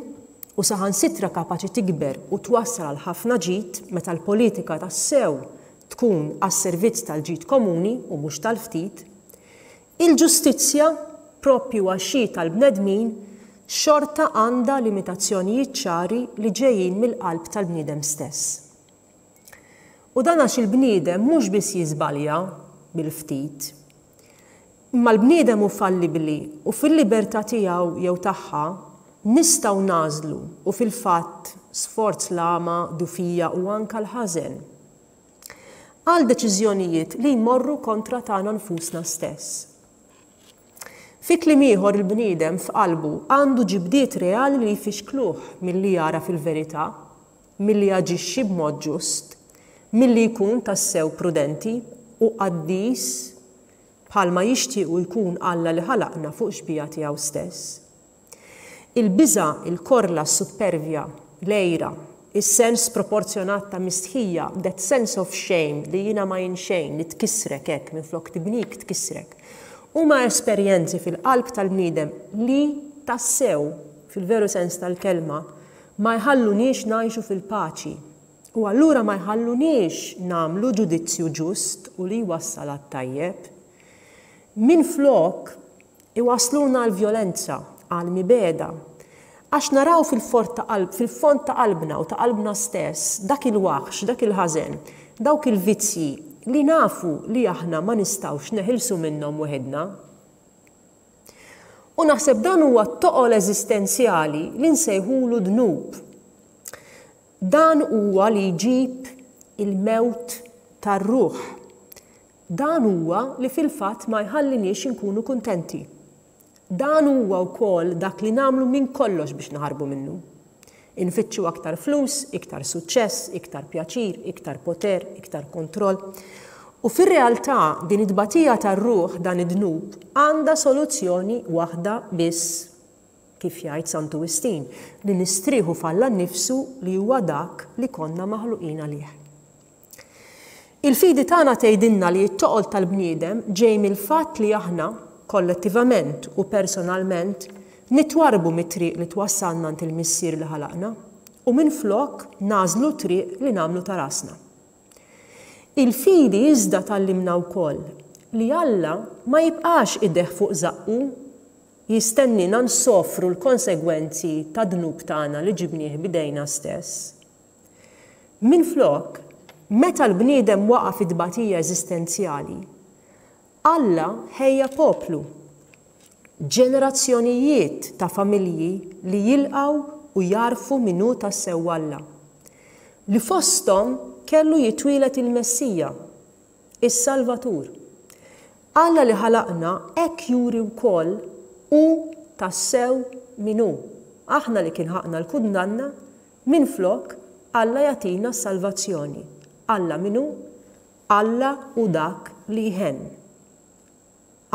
u saħansitra kapaċi tikber u twassal għal ħafna ġid meta l-politika tassew tkun għas-servizz tal-ġid komuni u mhux tal-ftit, il-ġustizzja, proprju għax hi tal-bnedmin, xorta għandha limitazzjonijiet ċari li ġejjin mill-qalb tal-bniedem stess. U dan għax il-bniedem mhux biss jiżbalja bil-ftit, imma l-bniedem hu fallibbli u fil-libertà tiegħu jew tagħha nistgħu nagħżlu u fil-fatt sforz l-għama, dufija u anke l-ħażen. Għal deċiżjonijiet li jmorru kontra tagħna nfusna stess. Fi kliem ieħor il-bniedem f'qalbu għandu ġibdiet reali li jfixkluh milli jagħraf il-verità milli jaġixxi b'mod ġust, milli jkun tassew prudenti u qaddis bħalma jixtiequ jkun Alla li ħalaqna fuq xbieha tiegħu stess. Il-biża', il-korla, s-suppervja, l-għira, is-sens sproporzjonat ta' mistħija, that sense of shame li jiena ma jien xejn, li tkissrek hekk minflok tibnik tkissrek, huma esperjenzi fil-qalb tal-bniedem li tassew, fil-veru sens tal-kelma, Ma jħalluniex ngħixu fil-paċi u allura ma jħalluniex nagħmlu ġudizzju ġust u li jwassal għat-tajjeb. Minflok, iwassluna għall-vjolenza, għall-mibegħda. Għax naraw fil-fond ta' qalb, fil-fond ta' qalbna u ta' qalbna stess dak il-waħx, dak il-ħażen, dawk il-vizzji li nafu li aħna ma nistgħux neħilsu minnhom weħidna. U naħseb dan huwa t-toqol eżistenzjali li nsejħulu dnub. Dan huwa li jġib il-mewt tar-ruħ. Dan huwa li fil-fatt ma jħalliniex inkunu kuntenti. Dan huwa wkoll dak li nagħmlu minn kollox biex naħarbu minnu. Infittxu aktar flus, iktar suċċess, iktar pjaċir, iktar poter, iktar kontroll. U fir-realtà din it-tbatija tar-ruħ, dan id-dnub, għandha soluzzjoni waħda biss, kif jgħid Santu Wistin, li nistrieħu f'Alla nnifsu li huwa dak li konna maħluqin għalih. Il-fidi tagħna tgħidilna li t-toqol tal-bniedem ġej mill-fatt li aħna, kollettivament u personalment, nitwarrbu mit-triq li twassalna għand il-Missier li ħalaqna, u minflok nagħżlu t-triq li nagħmlu ta' rasna. Il-fidi iżda tgħallimna wkoll li Alla ma jibqax idejh fuq żaqqu jistenniena nsofru l-konsegwenzi tad-dnub tagħna li ġibnieh b'idejna stess. Minflok, meta l-bniedem waqa' fi tbatija eżistenzjali, Alla ħejja poplu, ġenerazzjonijiet ta' familji li jilqgħu u jagħrfu min hu tassew Alla, li fosthom kellu jitwieled il-Messija, is-Salvatur. Alla li ħalaqna hekk juri wkoll hu tassew min hu. Aħna li kien ħaqqna l-kundanna, Minflok, Alla jagħtina s-salvazzjoni. Alla min hu? Alla hu dak li jħenn.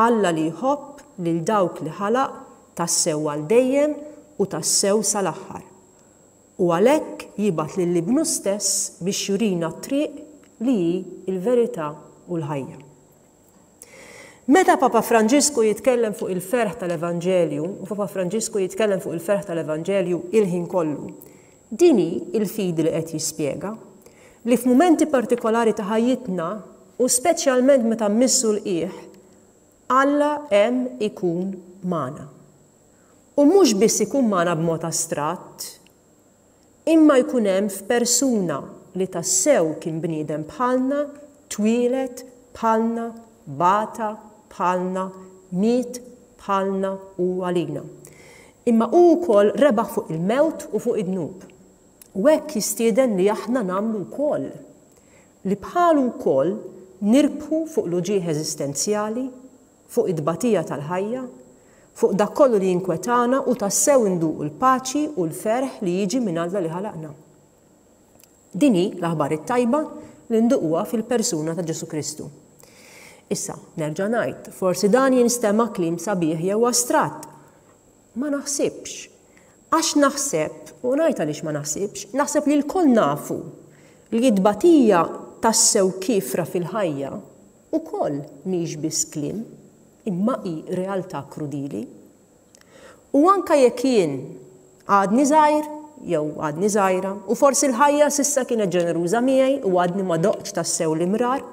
Alla li jħobb lil dawk li ħalaq tassew għal dejjem u tassew sal-aħħar. U għalhekk jibgħat lil Ibnu stess biex jurina t-triq li hi l-verità u l-ħajja. Meta Papa Franġisku jitkellem fuq il-ferħ tal-Evanġelju, u Papa Franġisku jitkellem fuq il-ferħ tal-Evanġelju il-ħin kollu, din hi l-fidi li qed jispjega, li f'mumenti partikolari ta' ħajjitna, u speċjalment meta mmissu l-qiegħ, Alla hemm ikun magħna. U mhux biss ikun magħna b'mod astratt, Imma jkun hemm f'persuna li tassew kien bniedem bħalna, twieled bħalna, bata bħalna, miet bħalna u għalina. Imma hu wkoll rebaħ fuq il-mewt u fuq id-dnub. U hekk jistieden li aħna nagħmlu wkoll. Li bħalu wkoll nirbħu fuq l-uġigħ eżistenzjali, fuq it-tbatija tal-ħajja, fuq dak kollu li jinkwetana u tassew induqu l-paċi u l-ferħ li jiġi minn Alla li ħalaqna. Din hi l-aħbar it-tajba li nduquha fil-persuna ta' Ġesù Kristu. Issa, nerġa' ngħid, forsi dan jinstema' kliem sabiħ jew astratt. Ma naħsibx. Għax naħseb, u ngħid għaliex ma naħsibx, naħseb li lkoll nafu li t-tbatija tassew kiefra fil-ħajja ukoll mhix biss kliem, imma hi realtà krudili. U anke jekk jien għadni żgħir jew għadni żgħira, u forsi l-ħajja s'issa kienet ġeneruża miegħi u għadni ma doqtx tassew l-imrar,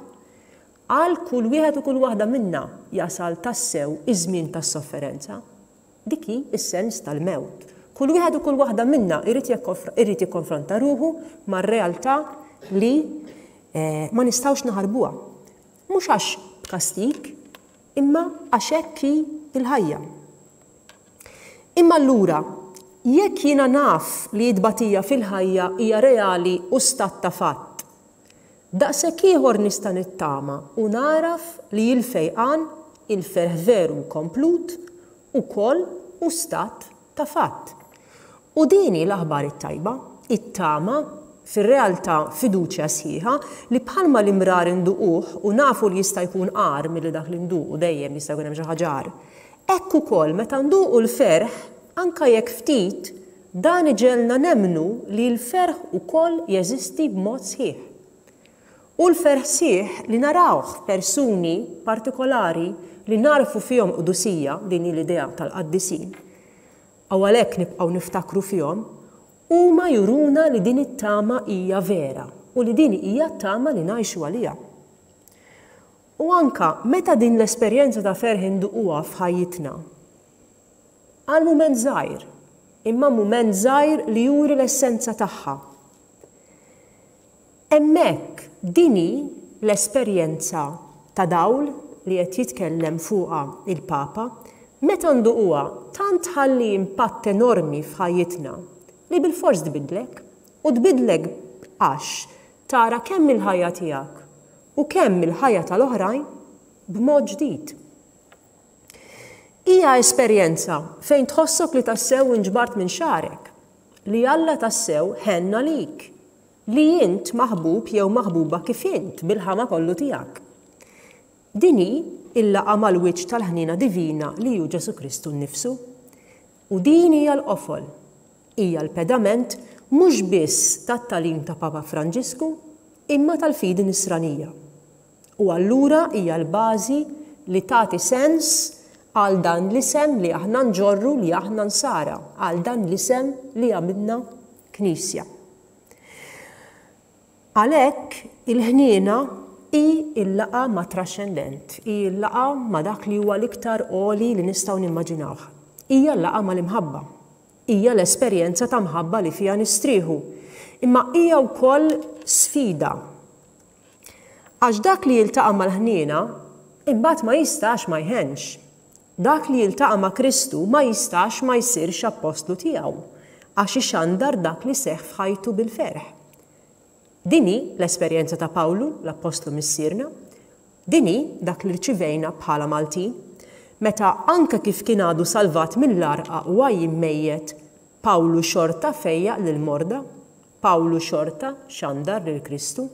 għal kull wieħed u kull waħda minna jasal tassew iż-żmien tas-sofferenza. Dik hi s-sens tal-mewt. Kull wieħed u kull waħda minna jrid irid jikkonfronta ruħu mar-realtà li ma nistgħux naħarbuha. Mhux għax b'kastig, imma għax hekk hi l-ħajja. Imma allura, jekk jiena naf li t-tbatija fil-ħajja hija reali u stat ta' fatt, Daqshekk ieħor nista' nittama u nagħraf li l-fejqan, il-ferħ veru u komplut, ukoll hu stat ta' fatt. U din hi l-aħbar it-tajba, it-tama, fir-realtà fiduċja sħiħa, li bħalma l-imrar induquh u nafu li jista' jkun agħar milli dak li nduqu, dejjem jista' jkun hemm xi ħaġa agħar, hekk ukoll meta nduqu l-ferħ, anke jekk ftit, Dan iġegħelna nemmnu li l-ferħ ukoll jeżisti b'mod sħiħ. Hu l-ferħ sħiħ li narawh f'persuni partikolari li nagħrfu fihom qdusija, din hi l-idea tal-qaddisin, u għalhekk nibqgħu niftakru fihom, huma juruna li din it-tama hija vera u li din hija t-tama li ngħixu għaliha. U anke meta din l-esperjenza ta' ferħ induquha f'ħajjitna, Għal mument żgħir, imma mument żgħir li juri l-essenza tagħha. Hemmhekk din hi l-esperjenza ta' dawl li qed jitkellem fuqha il-Papa, meta nduquha tant tħalli impatt enormi f'ħajjitna li bilfors tbiddlek, u tbiddlek għax tara kemm il-ħajja tiegħek u kemm il-ħajja tal-oħrajn b'mod ġdid. Hija esperjenza fejn tħossok li tassew inġbart minn xagħrek, li Alla tassew ħenn għalik, li int maħbub jew maħbuba kif int bil-ħama kollu tiegħek. Din hi l-laqgħa mal-wiċċ tal-ħniena divina li hu Ġesù Kristu nnifsu. U din hija l-qofol, hija l-pedament mhux biss tat-tagħlim ta' Papa Franġisku imma tal-fidi nisranija. U allura hija l-bażi li tagħti sens għal dan l-isem li aħna nġorru li aħna Nsara, għal dan l-isem li għamilna Knisja. Għalhekk, il-ħniena hi l-laqgħa mat-traxxendent, hi l-laqgħa ma' dak li huwa l-iktar għoli li nistgħu nimmaġinawh. Hija l-laqgħa mal-imħabba. Hija l-esperjenza ta' mħabba li fiha nistrieħu. Imma hija wkoll sfida. Għax dak li jiltaqa' mal-ħniena, imbagħad ma jistax ma jħennx. Dak li jiltaqa' ma' Kristu ma jistax ma jsirx appostlu tiegħu, għax ixandar dak li seħħ f'ħajtu bil-ferħ. Din hi l-esperjenza ta' Pawlu, l-appostlu missierna. Din hi dak li rċivejna bħala Maltin, meta anke kif kien għadu salvat mill-għarqa u għajjien mejjet, Pawlu xorta fejjaq lill-morda, Pawlu xorta xandar lil Kristu.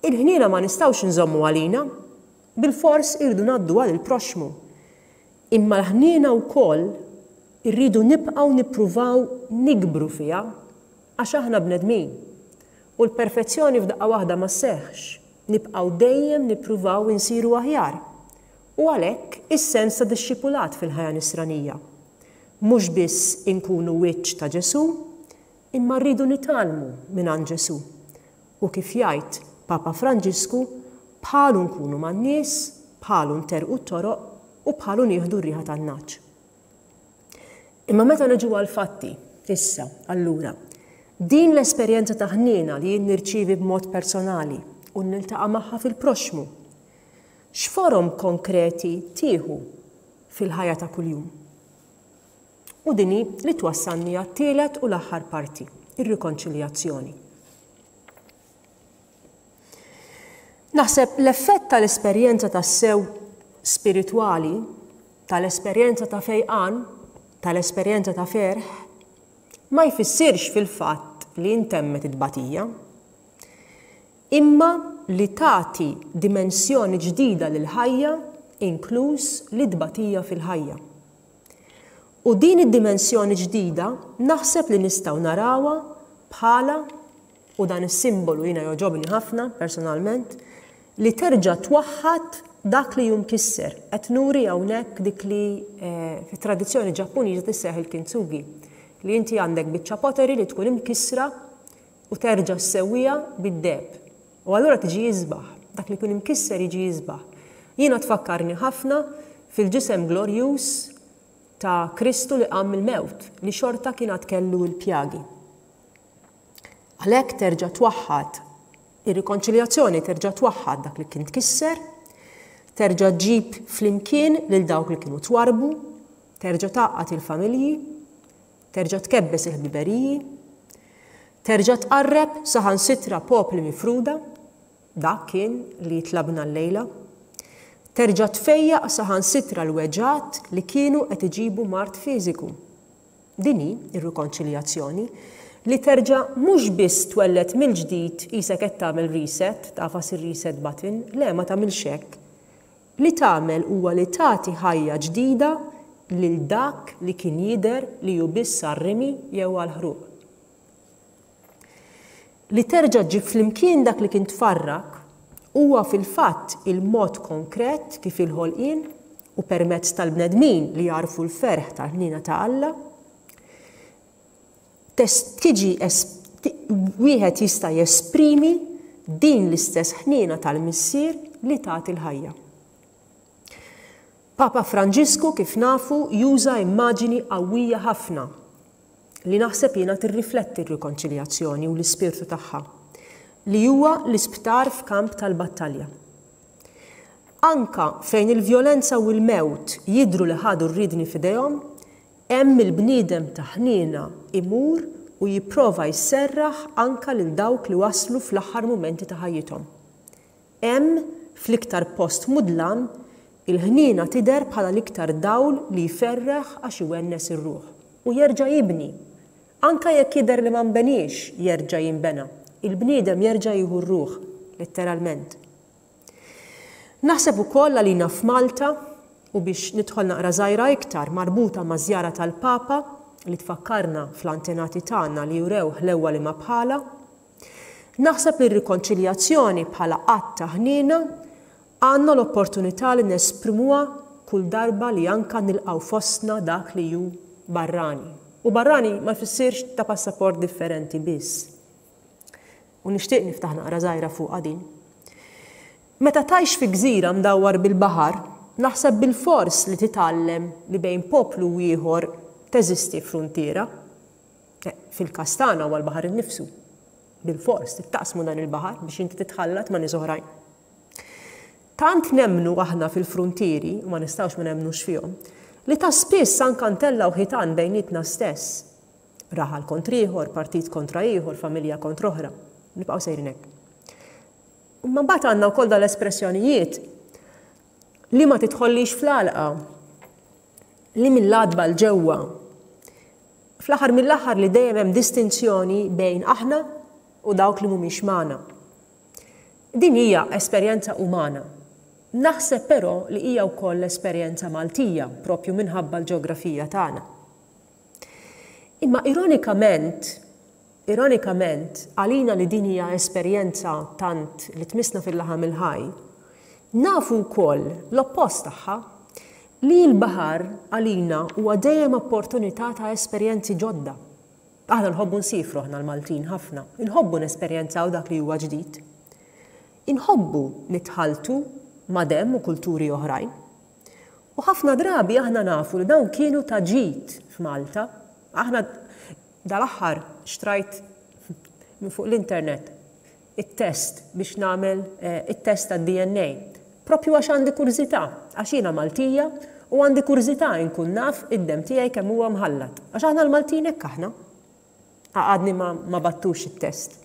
Il-ħniena ma nistgħux inżommu għalina. Bilfors irridu ngħadduha lill-proxxmu. Imma l-ħniena wkoll irridu nibqgħu nippruvaw nikbru fiha għax aħna bnedmin. U l-perfezzjoni f'daqqa waħda ma sseħħx. Nibqgħu dejjem nippruvaw insiru aħjar. U għalhekk is-sens ta' dixxipulat fil-ħajja nisranija. Mhux biss inkunu wiċċ ta' Ġesù, imma rridu nitgħallmu mingħand Ġesù. U kif jgħid Papa Franġisku, bħalu nkunu man-nies, bħalu nterrqu t-toroq u bħalu nieħdu r-riħa tan-nagħaġ. Imma meta niġu għall-fatti, issa, allura, din l-esperjenza ta' ħniena li jien nirċievi b'mod personali u niltaqa' magħha fil-proxxmu, x'forom konkreti tieħu fil-ħajja ta' kuljum? U din hi li twassalni għat-tielet u l-aħħar parti, ir-rikonċiljazzjoni. Naħseb l-effett tal-esperjenza tassew spiritwali, tal-esperjenza ta' fejqan, tal-esperjenza ta' ferħ, ma jfissirx fil-fatt li intemmet it-tbatija, imma li tagħti dimensjoni ġdida lill-ħajja, inkluż lit-tbatija fil-ħajja. U din id-dimensjoni ġdida naħseb li nistgħu narawha bħala, u dan is-simbolu jiena jogħġobni ħafna personalment, li terġa' twaħħad dak li hu mkisser. Qed nuri hawnhekk dik li fit-tradizzjoni Ġappuniża tisseħ il-kintsugi, li inti għandek biċċa pottery li tkun imkissra u terġa' ssewwiha bid-deheb. U allura tiġi isbaħ. Dak li jkun imkisser jiġi isbaħ. Jiena tfakkarni ħafna fil-ġisem glorjuż ta' Kristu li qam mill-mewt, li xorta kien għad kellu l-pjagi. Għalhekk terġa' twaħħad ir-rikonċiljazzjoni terġa' twaħħad dak li kien tkisser, terġa' ġġib flimkien lil dawk li kienu twarrbu, terġa' tgħaqqad il-familji, Terġa' tkebbes il-ħbiberiji. Terġa' tqarreb saħansitra popli mifruda. Dak kien li tlabna llejla. Terġa' tfejjaq saħansitra l-weġgħat li kienu qed iġibu mard fiżiku. Din hi r-rikonċiljazzjoni, li terġa' mhux biss twelled mill-ġdid qisek qed tagħmel reset, tagħfas ir-reset button, le ma tagħmilx hekk. Li tagħmel huwa li tagħti ħajja ġdida lil dak li kien jidher li hu biss għar-rimi jew għall-ħruq. Li terġa' ġġib flimkien dak li kien tfarrak huwa fil-fatt il-mod konkret kif il-ħolqien, u permezz tal-bnedmin li jagħrfu l-ferħ tal-ħniena ta' Alla, tiġi wieħed jista' jesprimi din l-istess ħniena tal-Missier li tagħti l-ħajja. Papa Franġisku, kif nafu, juża immaġini qawwija ħafna li naħseb jiena tirrifletti r-rikonċiljazzjoni u l-ispirtu tagħha, li huwa l-isptar f'kamp tal-battalja. Anka fejn il-vjolenza u l-mewt jidhru li ħadu r-riedni f'idejhom, Hemm il-bniedem ta' ħniena imur u jipprova jserraħ anka lil dawk li waslu fl-aħħar mumenti ta' ħajjithom. Hemm, fl-iktar post mudlam, il-ħniena tidher bħala l-iktar dawl li jferraħ għax iwennes ir-ruħ. U jerġa' jibni. Anka jekk jidher li ma nbeniex, jerġa' jinbena. Il-bniedem jerġa' jieħu r-ruħ, letteralment. Naħseb ukoll għalina f'Malta, u biex nidħol naqra żgħira iktar marbuta maż-żjara tal-Papa li tfakkarna fl-antenati tagħna li urew ħlewwa li ma bħalha, naħseb li r-rikonċiljazzjoni bħala att ta' ħniena Għandna l-opportunità li nesprimuha kull darba li anka nilqgħu fostna dak li hu barrani. U barrani ma jfissirx ta' passaport differenti biss. U nixtieq niftaħ naqra żgħira fuqha din. Meta tgħix fi gżira mdawwar bil-baħar, naħseb bilfors li titgħallem li bejn poplu u ieħor teżisti fruntiera. Fil-każ tagħna huwa l-baħar innifsu. Bilfors trid taqsmu dan il-baħar biex inti titħallat ma' nies oħrajn. Tant nemmnu aħna fil-fruntieri, u ma nistgħux ma nemmnux fihom, li ta' spiss anke ntellgħu ħitan bejnietna stess. Raħal kontra ieħor, partit kontra ieħor, familja kontra oħra. Nibqgħu sejrin hekk. Imma mbagħad għandna wkoll dal-espressjonijiet li ma tidħollix fl-għalqa, li mill-għatba 'l ġewwa. Fl-aħħar mill-aħħar li dejjem hemm distinzjoni bejn aħna u dawk li mhumiex magħna. Din hija esperjenza umana. Naħseb però li hija wkoll esperjenza Maltija propju minħabba l-ġeografija tagħna. Imma ironikament, Ironikament, għalina li din hija esperjenza tant li tmissna fil-laħam il-ħaj, nafu wkoll l-oppost tagħha, li l-baħar għalina huwa dejjem opportunità ta' esperjenzi ġodda. Aħna nħobbu nsiefru aħna l-Maltin ħafna, inħobbu nesperjenzaw dak li huwa ġdid. Inħobbu nitħalltu ma' demm u kulturi oħrajn. U ħafna drabi aħna nafu li dawn kienu ta' ġid f'Malta. Aħna Dal-aħħar xtrajt minn fuq l-internet it-test biex nagħmel it-test tad-DNA. Propju għax għandi kurżità, għax jiena Maltija u għandi kurżità inkun naf id-demm tiegħi kemm huwa mħallat. Għax aħna l-Maltin hekk aħna. Għadni ma, ma battux it-test.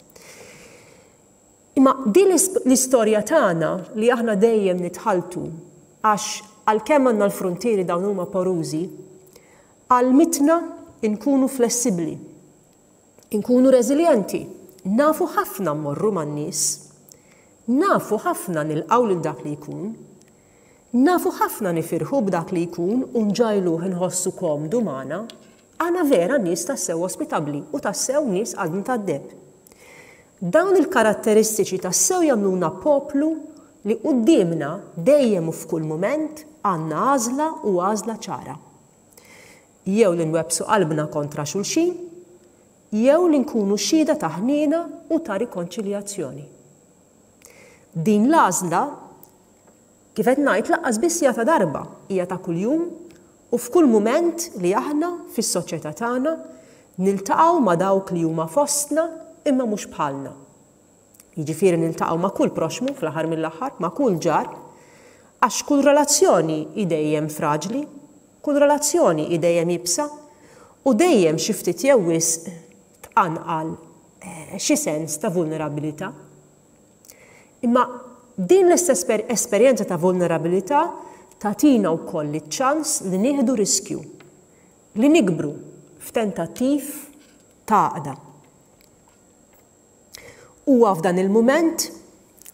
Imma din l-istorja tagħna li aħna dejjem nitħalltu għax għalkemm għandna l-fruntieri dawn huma porużi, Għallmitna nkunu flessibbli, inkunu reżiljenti, nafu ħafna mmorru man-nies, nafu ħafna nilqgħu lil dak li jkun, nafu ħafna nifirħu b'dak li jkun u nġagħluh inħossu komdu magħna. Aħna vera nies tassew ospitabbli u tassew nies qalbna tad-deheb. Dawn il-karatteristiċi tassew jagħmluna poplu li quddiemna dejjem u f'kull mument għandna għażla u għażla ċara. Jew li nwebbsu qalbna kontra xulxin, jew li nkunu xhieda ta' ħniena u ta' rikonċiljazzjoni. Din l-għażla, kif qed ngħid, lanqas biss hija ta' darba, hija ta' kuljum u f'kull mument li aħna, fis-soċjetà tagħna, niltaqgħu ma' dawk li huma fostna imma mhux bħalna. Jiġifieri niltaqgħu ma' kull proxxmu fl-aħħar mill-aħħar, ma' kull ġar, għax kull relazzjoni hi dejjem fraġli, kull relazzjoni hi dejjem iebsa u dejjem xi ftit jew wisq tqanqal xi sens ta' vulnerabilità. Imma din l-istess esperjenza ta' vulnerabilità tagħtina wkoll iċ-ċans li nieħdu riskju, li nikbru f'tentattiv ta' għaqda. Huwa f'dan il-mument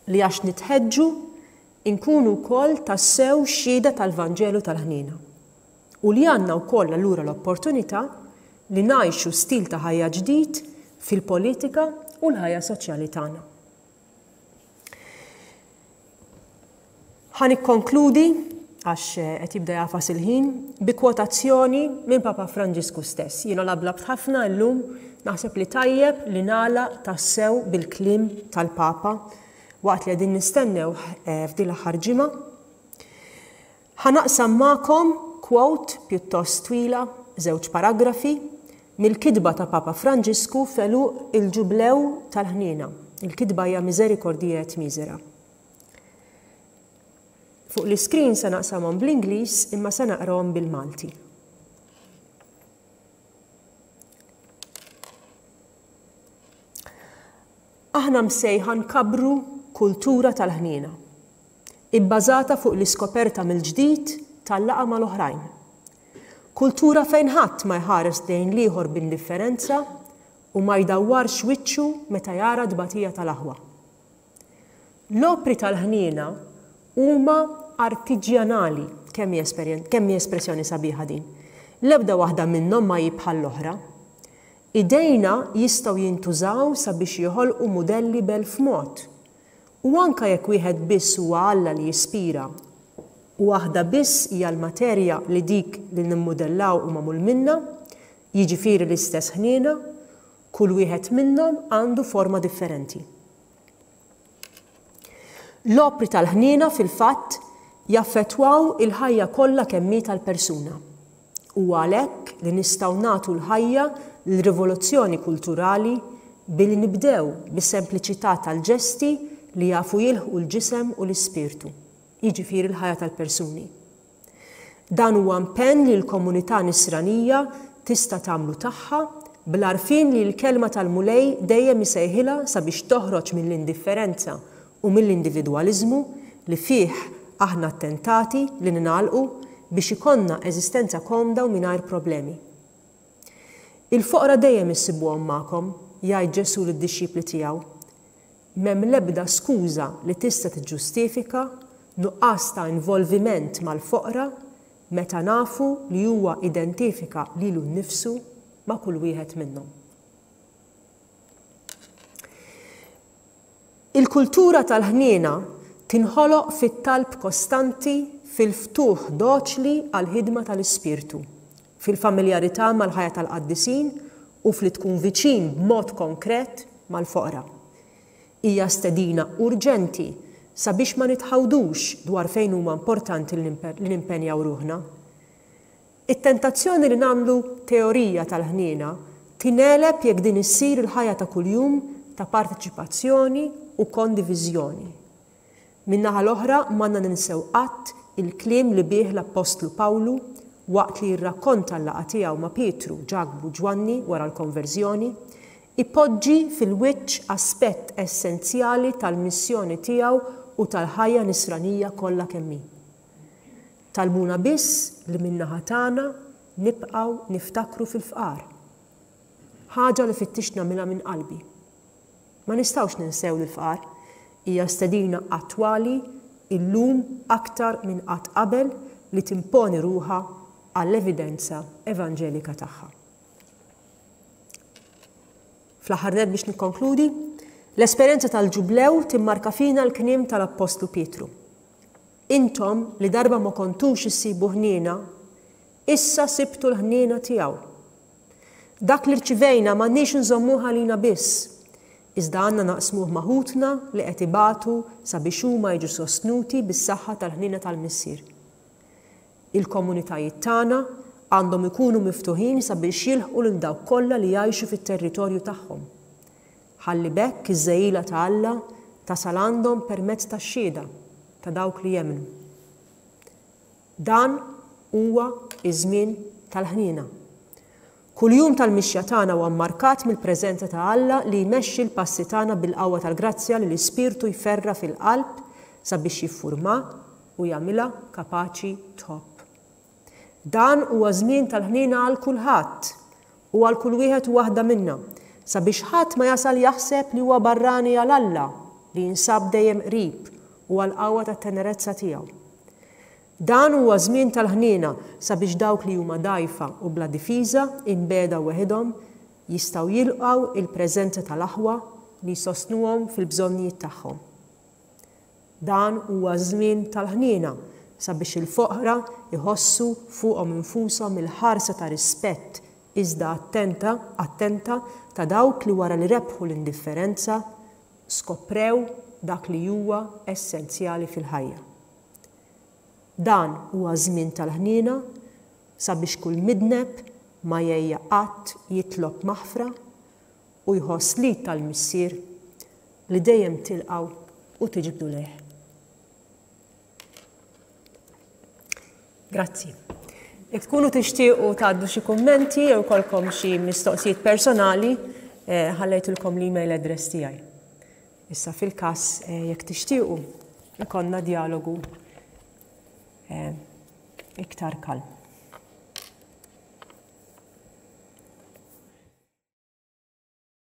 li għax nitħeġġu nkunu wkoll tassew xhieda tal-Vanġelu tal-ħniena u li għandna wkoll allura l-opportunità li ngħixu stil ta' ħajja ġdid fil-politika u l-ħajja soċjali tagħna. Ħa nikkonkludi, għax qed jibda jagħfas il-ħin, bi kwotazzjoni minn Papa Franġisku stess. Jiena lablabt ħafna llum, naħseb li tajjeb li nagħlaq tassew bil-kliem tal-Papa waqt li qegħdin nistennewh f'din l-aħħar ġimgħa. Ħa naqsam magħkom quote pjuttost twila, żewġ paragrafi, mill-kitba ta' Papa Franġisku f'għeluq il-Ġublew tal-Ħniena. Il-kitba hija Misericordiae et Misera. Fuq l-iskrin se naqsamhom bl-Ingliż imma se naqrahom bil-Malti. Aħna msejħa nkabbru kultura tal-ħniena, ibbażata fuq l-iskoperta mill-ġdid tal-laqgħa mal-oħrajn. Kultura fejn ħadd ma jħares lejn l-ieħor b'indifferenza u ma jdawwarx wiċċu meta jara t-tbatija tal-aħwa. L-opri tal-ħniena huma artiġjanali, kemm hi kemm hi espressjoni sabiħa din. L-ebda waħda minnhom ma hi bħall-oħra. Idejna jistgħu jintużaw sabiex joħolqu mudelli b'elf mod. U anke jekk wieħed biss huwa Alla li jispira u waħda biss hija l-materja li dik li nimmudellaw hu magħmul minnha, jiġifieri l-istess ħniena, kull wieħed minnhom għandu forma differenti. L-opri tal-ħniena fil-fatt jaffettwaw il-ħajja kollha kemm hi tal-persuna. Huwa għalhekk li nistgħu nagħtu l-ħajja lil rivoluzzjoni kulturali billi nibdew bis-sempliċità tal-ġesti li jafu jilħqu l-ġisem u l-ispirtu, jiġifieri l-ħajja tal-persuni. Dan huwa impenn li l-komunità Nisranija tista' tagħmlu tagħha bl-għarfien li l-Kelma tal-Mulej dejjem isejħilha sabiex toħroġ mill-indifferenza u mill-individwaliżmu li fih aħna ttentati li ningħalqu biex ikollna eżistenza komda u mingħajr problemi. Il-foqra dejjem issibuhom magħkom, jgħid Ġesù lid-dixxipli tiegħu. M'hemm l-ebda skuża li tista' tiġġustifika nuqqas ta' involviment mal-foqra meta nafu li huwa identifika lilu nnifsu ma' kull wieħed minnhom. Il-kultura tal-ħniena tinħoloq fit-talb kostanti, fil-ftuħ doċli għall-ħidma tal-Ispirtu, fil-familjarità mal-ħajja tal-qaddisin u f'li tkun viċin b'mod konkret mal-foqra. Hija stedina urġenti sabiex ma nitħawdux dwar fejn huma importanti li nimpenjaw ruħna. It-tentazzjoni li nagħmlu teorija tal-ħniena tingħeleb jekk din issir il-ħajja ta' kuljum ta' parteċipazzjoni u kondiviżjoni. Min-naħa l-oħra m'għandna ninsew qatt il-kliem li bih l-appostlu Pawlu, waqt li jirrakkonta l-laqgħa tiegħu ma' Pietru, Ġakbu u Ġwanni wara l-konverżjoni, ipoġġi fil-wiċċ aspett essenzjali tal-missjoni tiegħu u tal-ħajja nisranija kollha kemm hi. Talbuna biss li min-naħa tagħna nibqgħu niftakru fil-fqar. Ħaġa li fittixt nagħmilha minn qalbi. Ma nistgħux ninsew lill-fqar. Hija stedina attwali illum aktar minn qatt qabel li timponi ruħha għall-evidenza evanġelika tagħha. Fl-aħħar nett biex nikkonkludi, l-esperjenza tal-Ġublew timmarka fina l-kliem tal-Appostlu Pietru. Intom li darba ma kontux issibu ħniena, issa sibtu l-ħniena tiegħu. Dak li rċivejna m'għandniex inżommuh għalina biss, iżda għandna naqsmuh ma' ħutna li qed ibatu sabiex huma jiġu sostnuti bis-saħħa tal-ħniena tal-Missier. Il-komunitajiet tagħna għandhom ikunu miftuħin sabiex jilħqu lil dawk kollha li jgħixu fit-territorju tagħhom. Ħalli b'hekk iż-żegħila ta' Alla tasal għandhom permezz tax-xhieda ta' dawk li jemmnu. Dan huwa ż-żmien tal-ħniena. Kull jum tal-mixja tagħna huwa mmarkat mill-preżenza ta' Alla li jmexxi l-passi tagħna bil-qawwa tal-grazzja li l-Ispirtu jferra' fil-qalb sabiex jiffurmha u jagħmilha kapaċi tħobb. Dan huwa żmien tal-ħniena għal kulħadd u għal kull wieħed u waħda minna, sabiex ħadd ma jasal jaħseb li huwa barrani għal Alla li jinsab dejjem qrib u għall-qawwa tat-tenerezza tiegħu. Dan huwa żmien tal-ħniena sabiex dawk li huma dgħajfa u bla difiża, imbiegħda weħidhom, jistgħu jilqgħu il-preżenza tal-aħwa li jsostnuhom fil-bżonnijiet tagħhom. Dan huwa żmien tal-ħniena sabiex il-foqra jħossu fuqhom infushom il-ħarsa ta' rispett iżda attenta attenta ta' dawk li wara li rebħu l-indifferenza skoprew dak li huwa essenzjali fil-ħajja. Dan huwa żmien tal-ħniena sabiex kull midneb ma jgħejja qatt jitlob maħfra u jħoss l-id tal-Missier li dejjem tilqgħu u tiġbdu lejh. Grazzi. Jekk tkunu tixtiequ tgħaddu xi kummenti jew ikollkom xi mistoqsijiet personali, eh, ħallejtilkom l-email address tiegħi. Issa fil-każ eh, jekk tixtiequ ikonna dialogu eh, iktar kalm.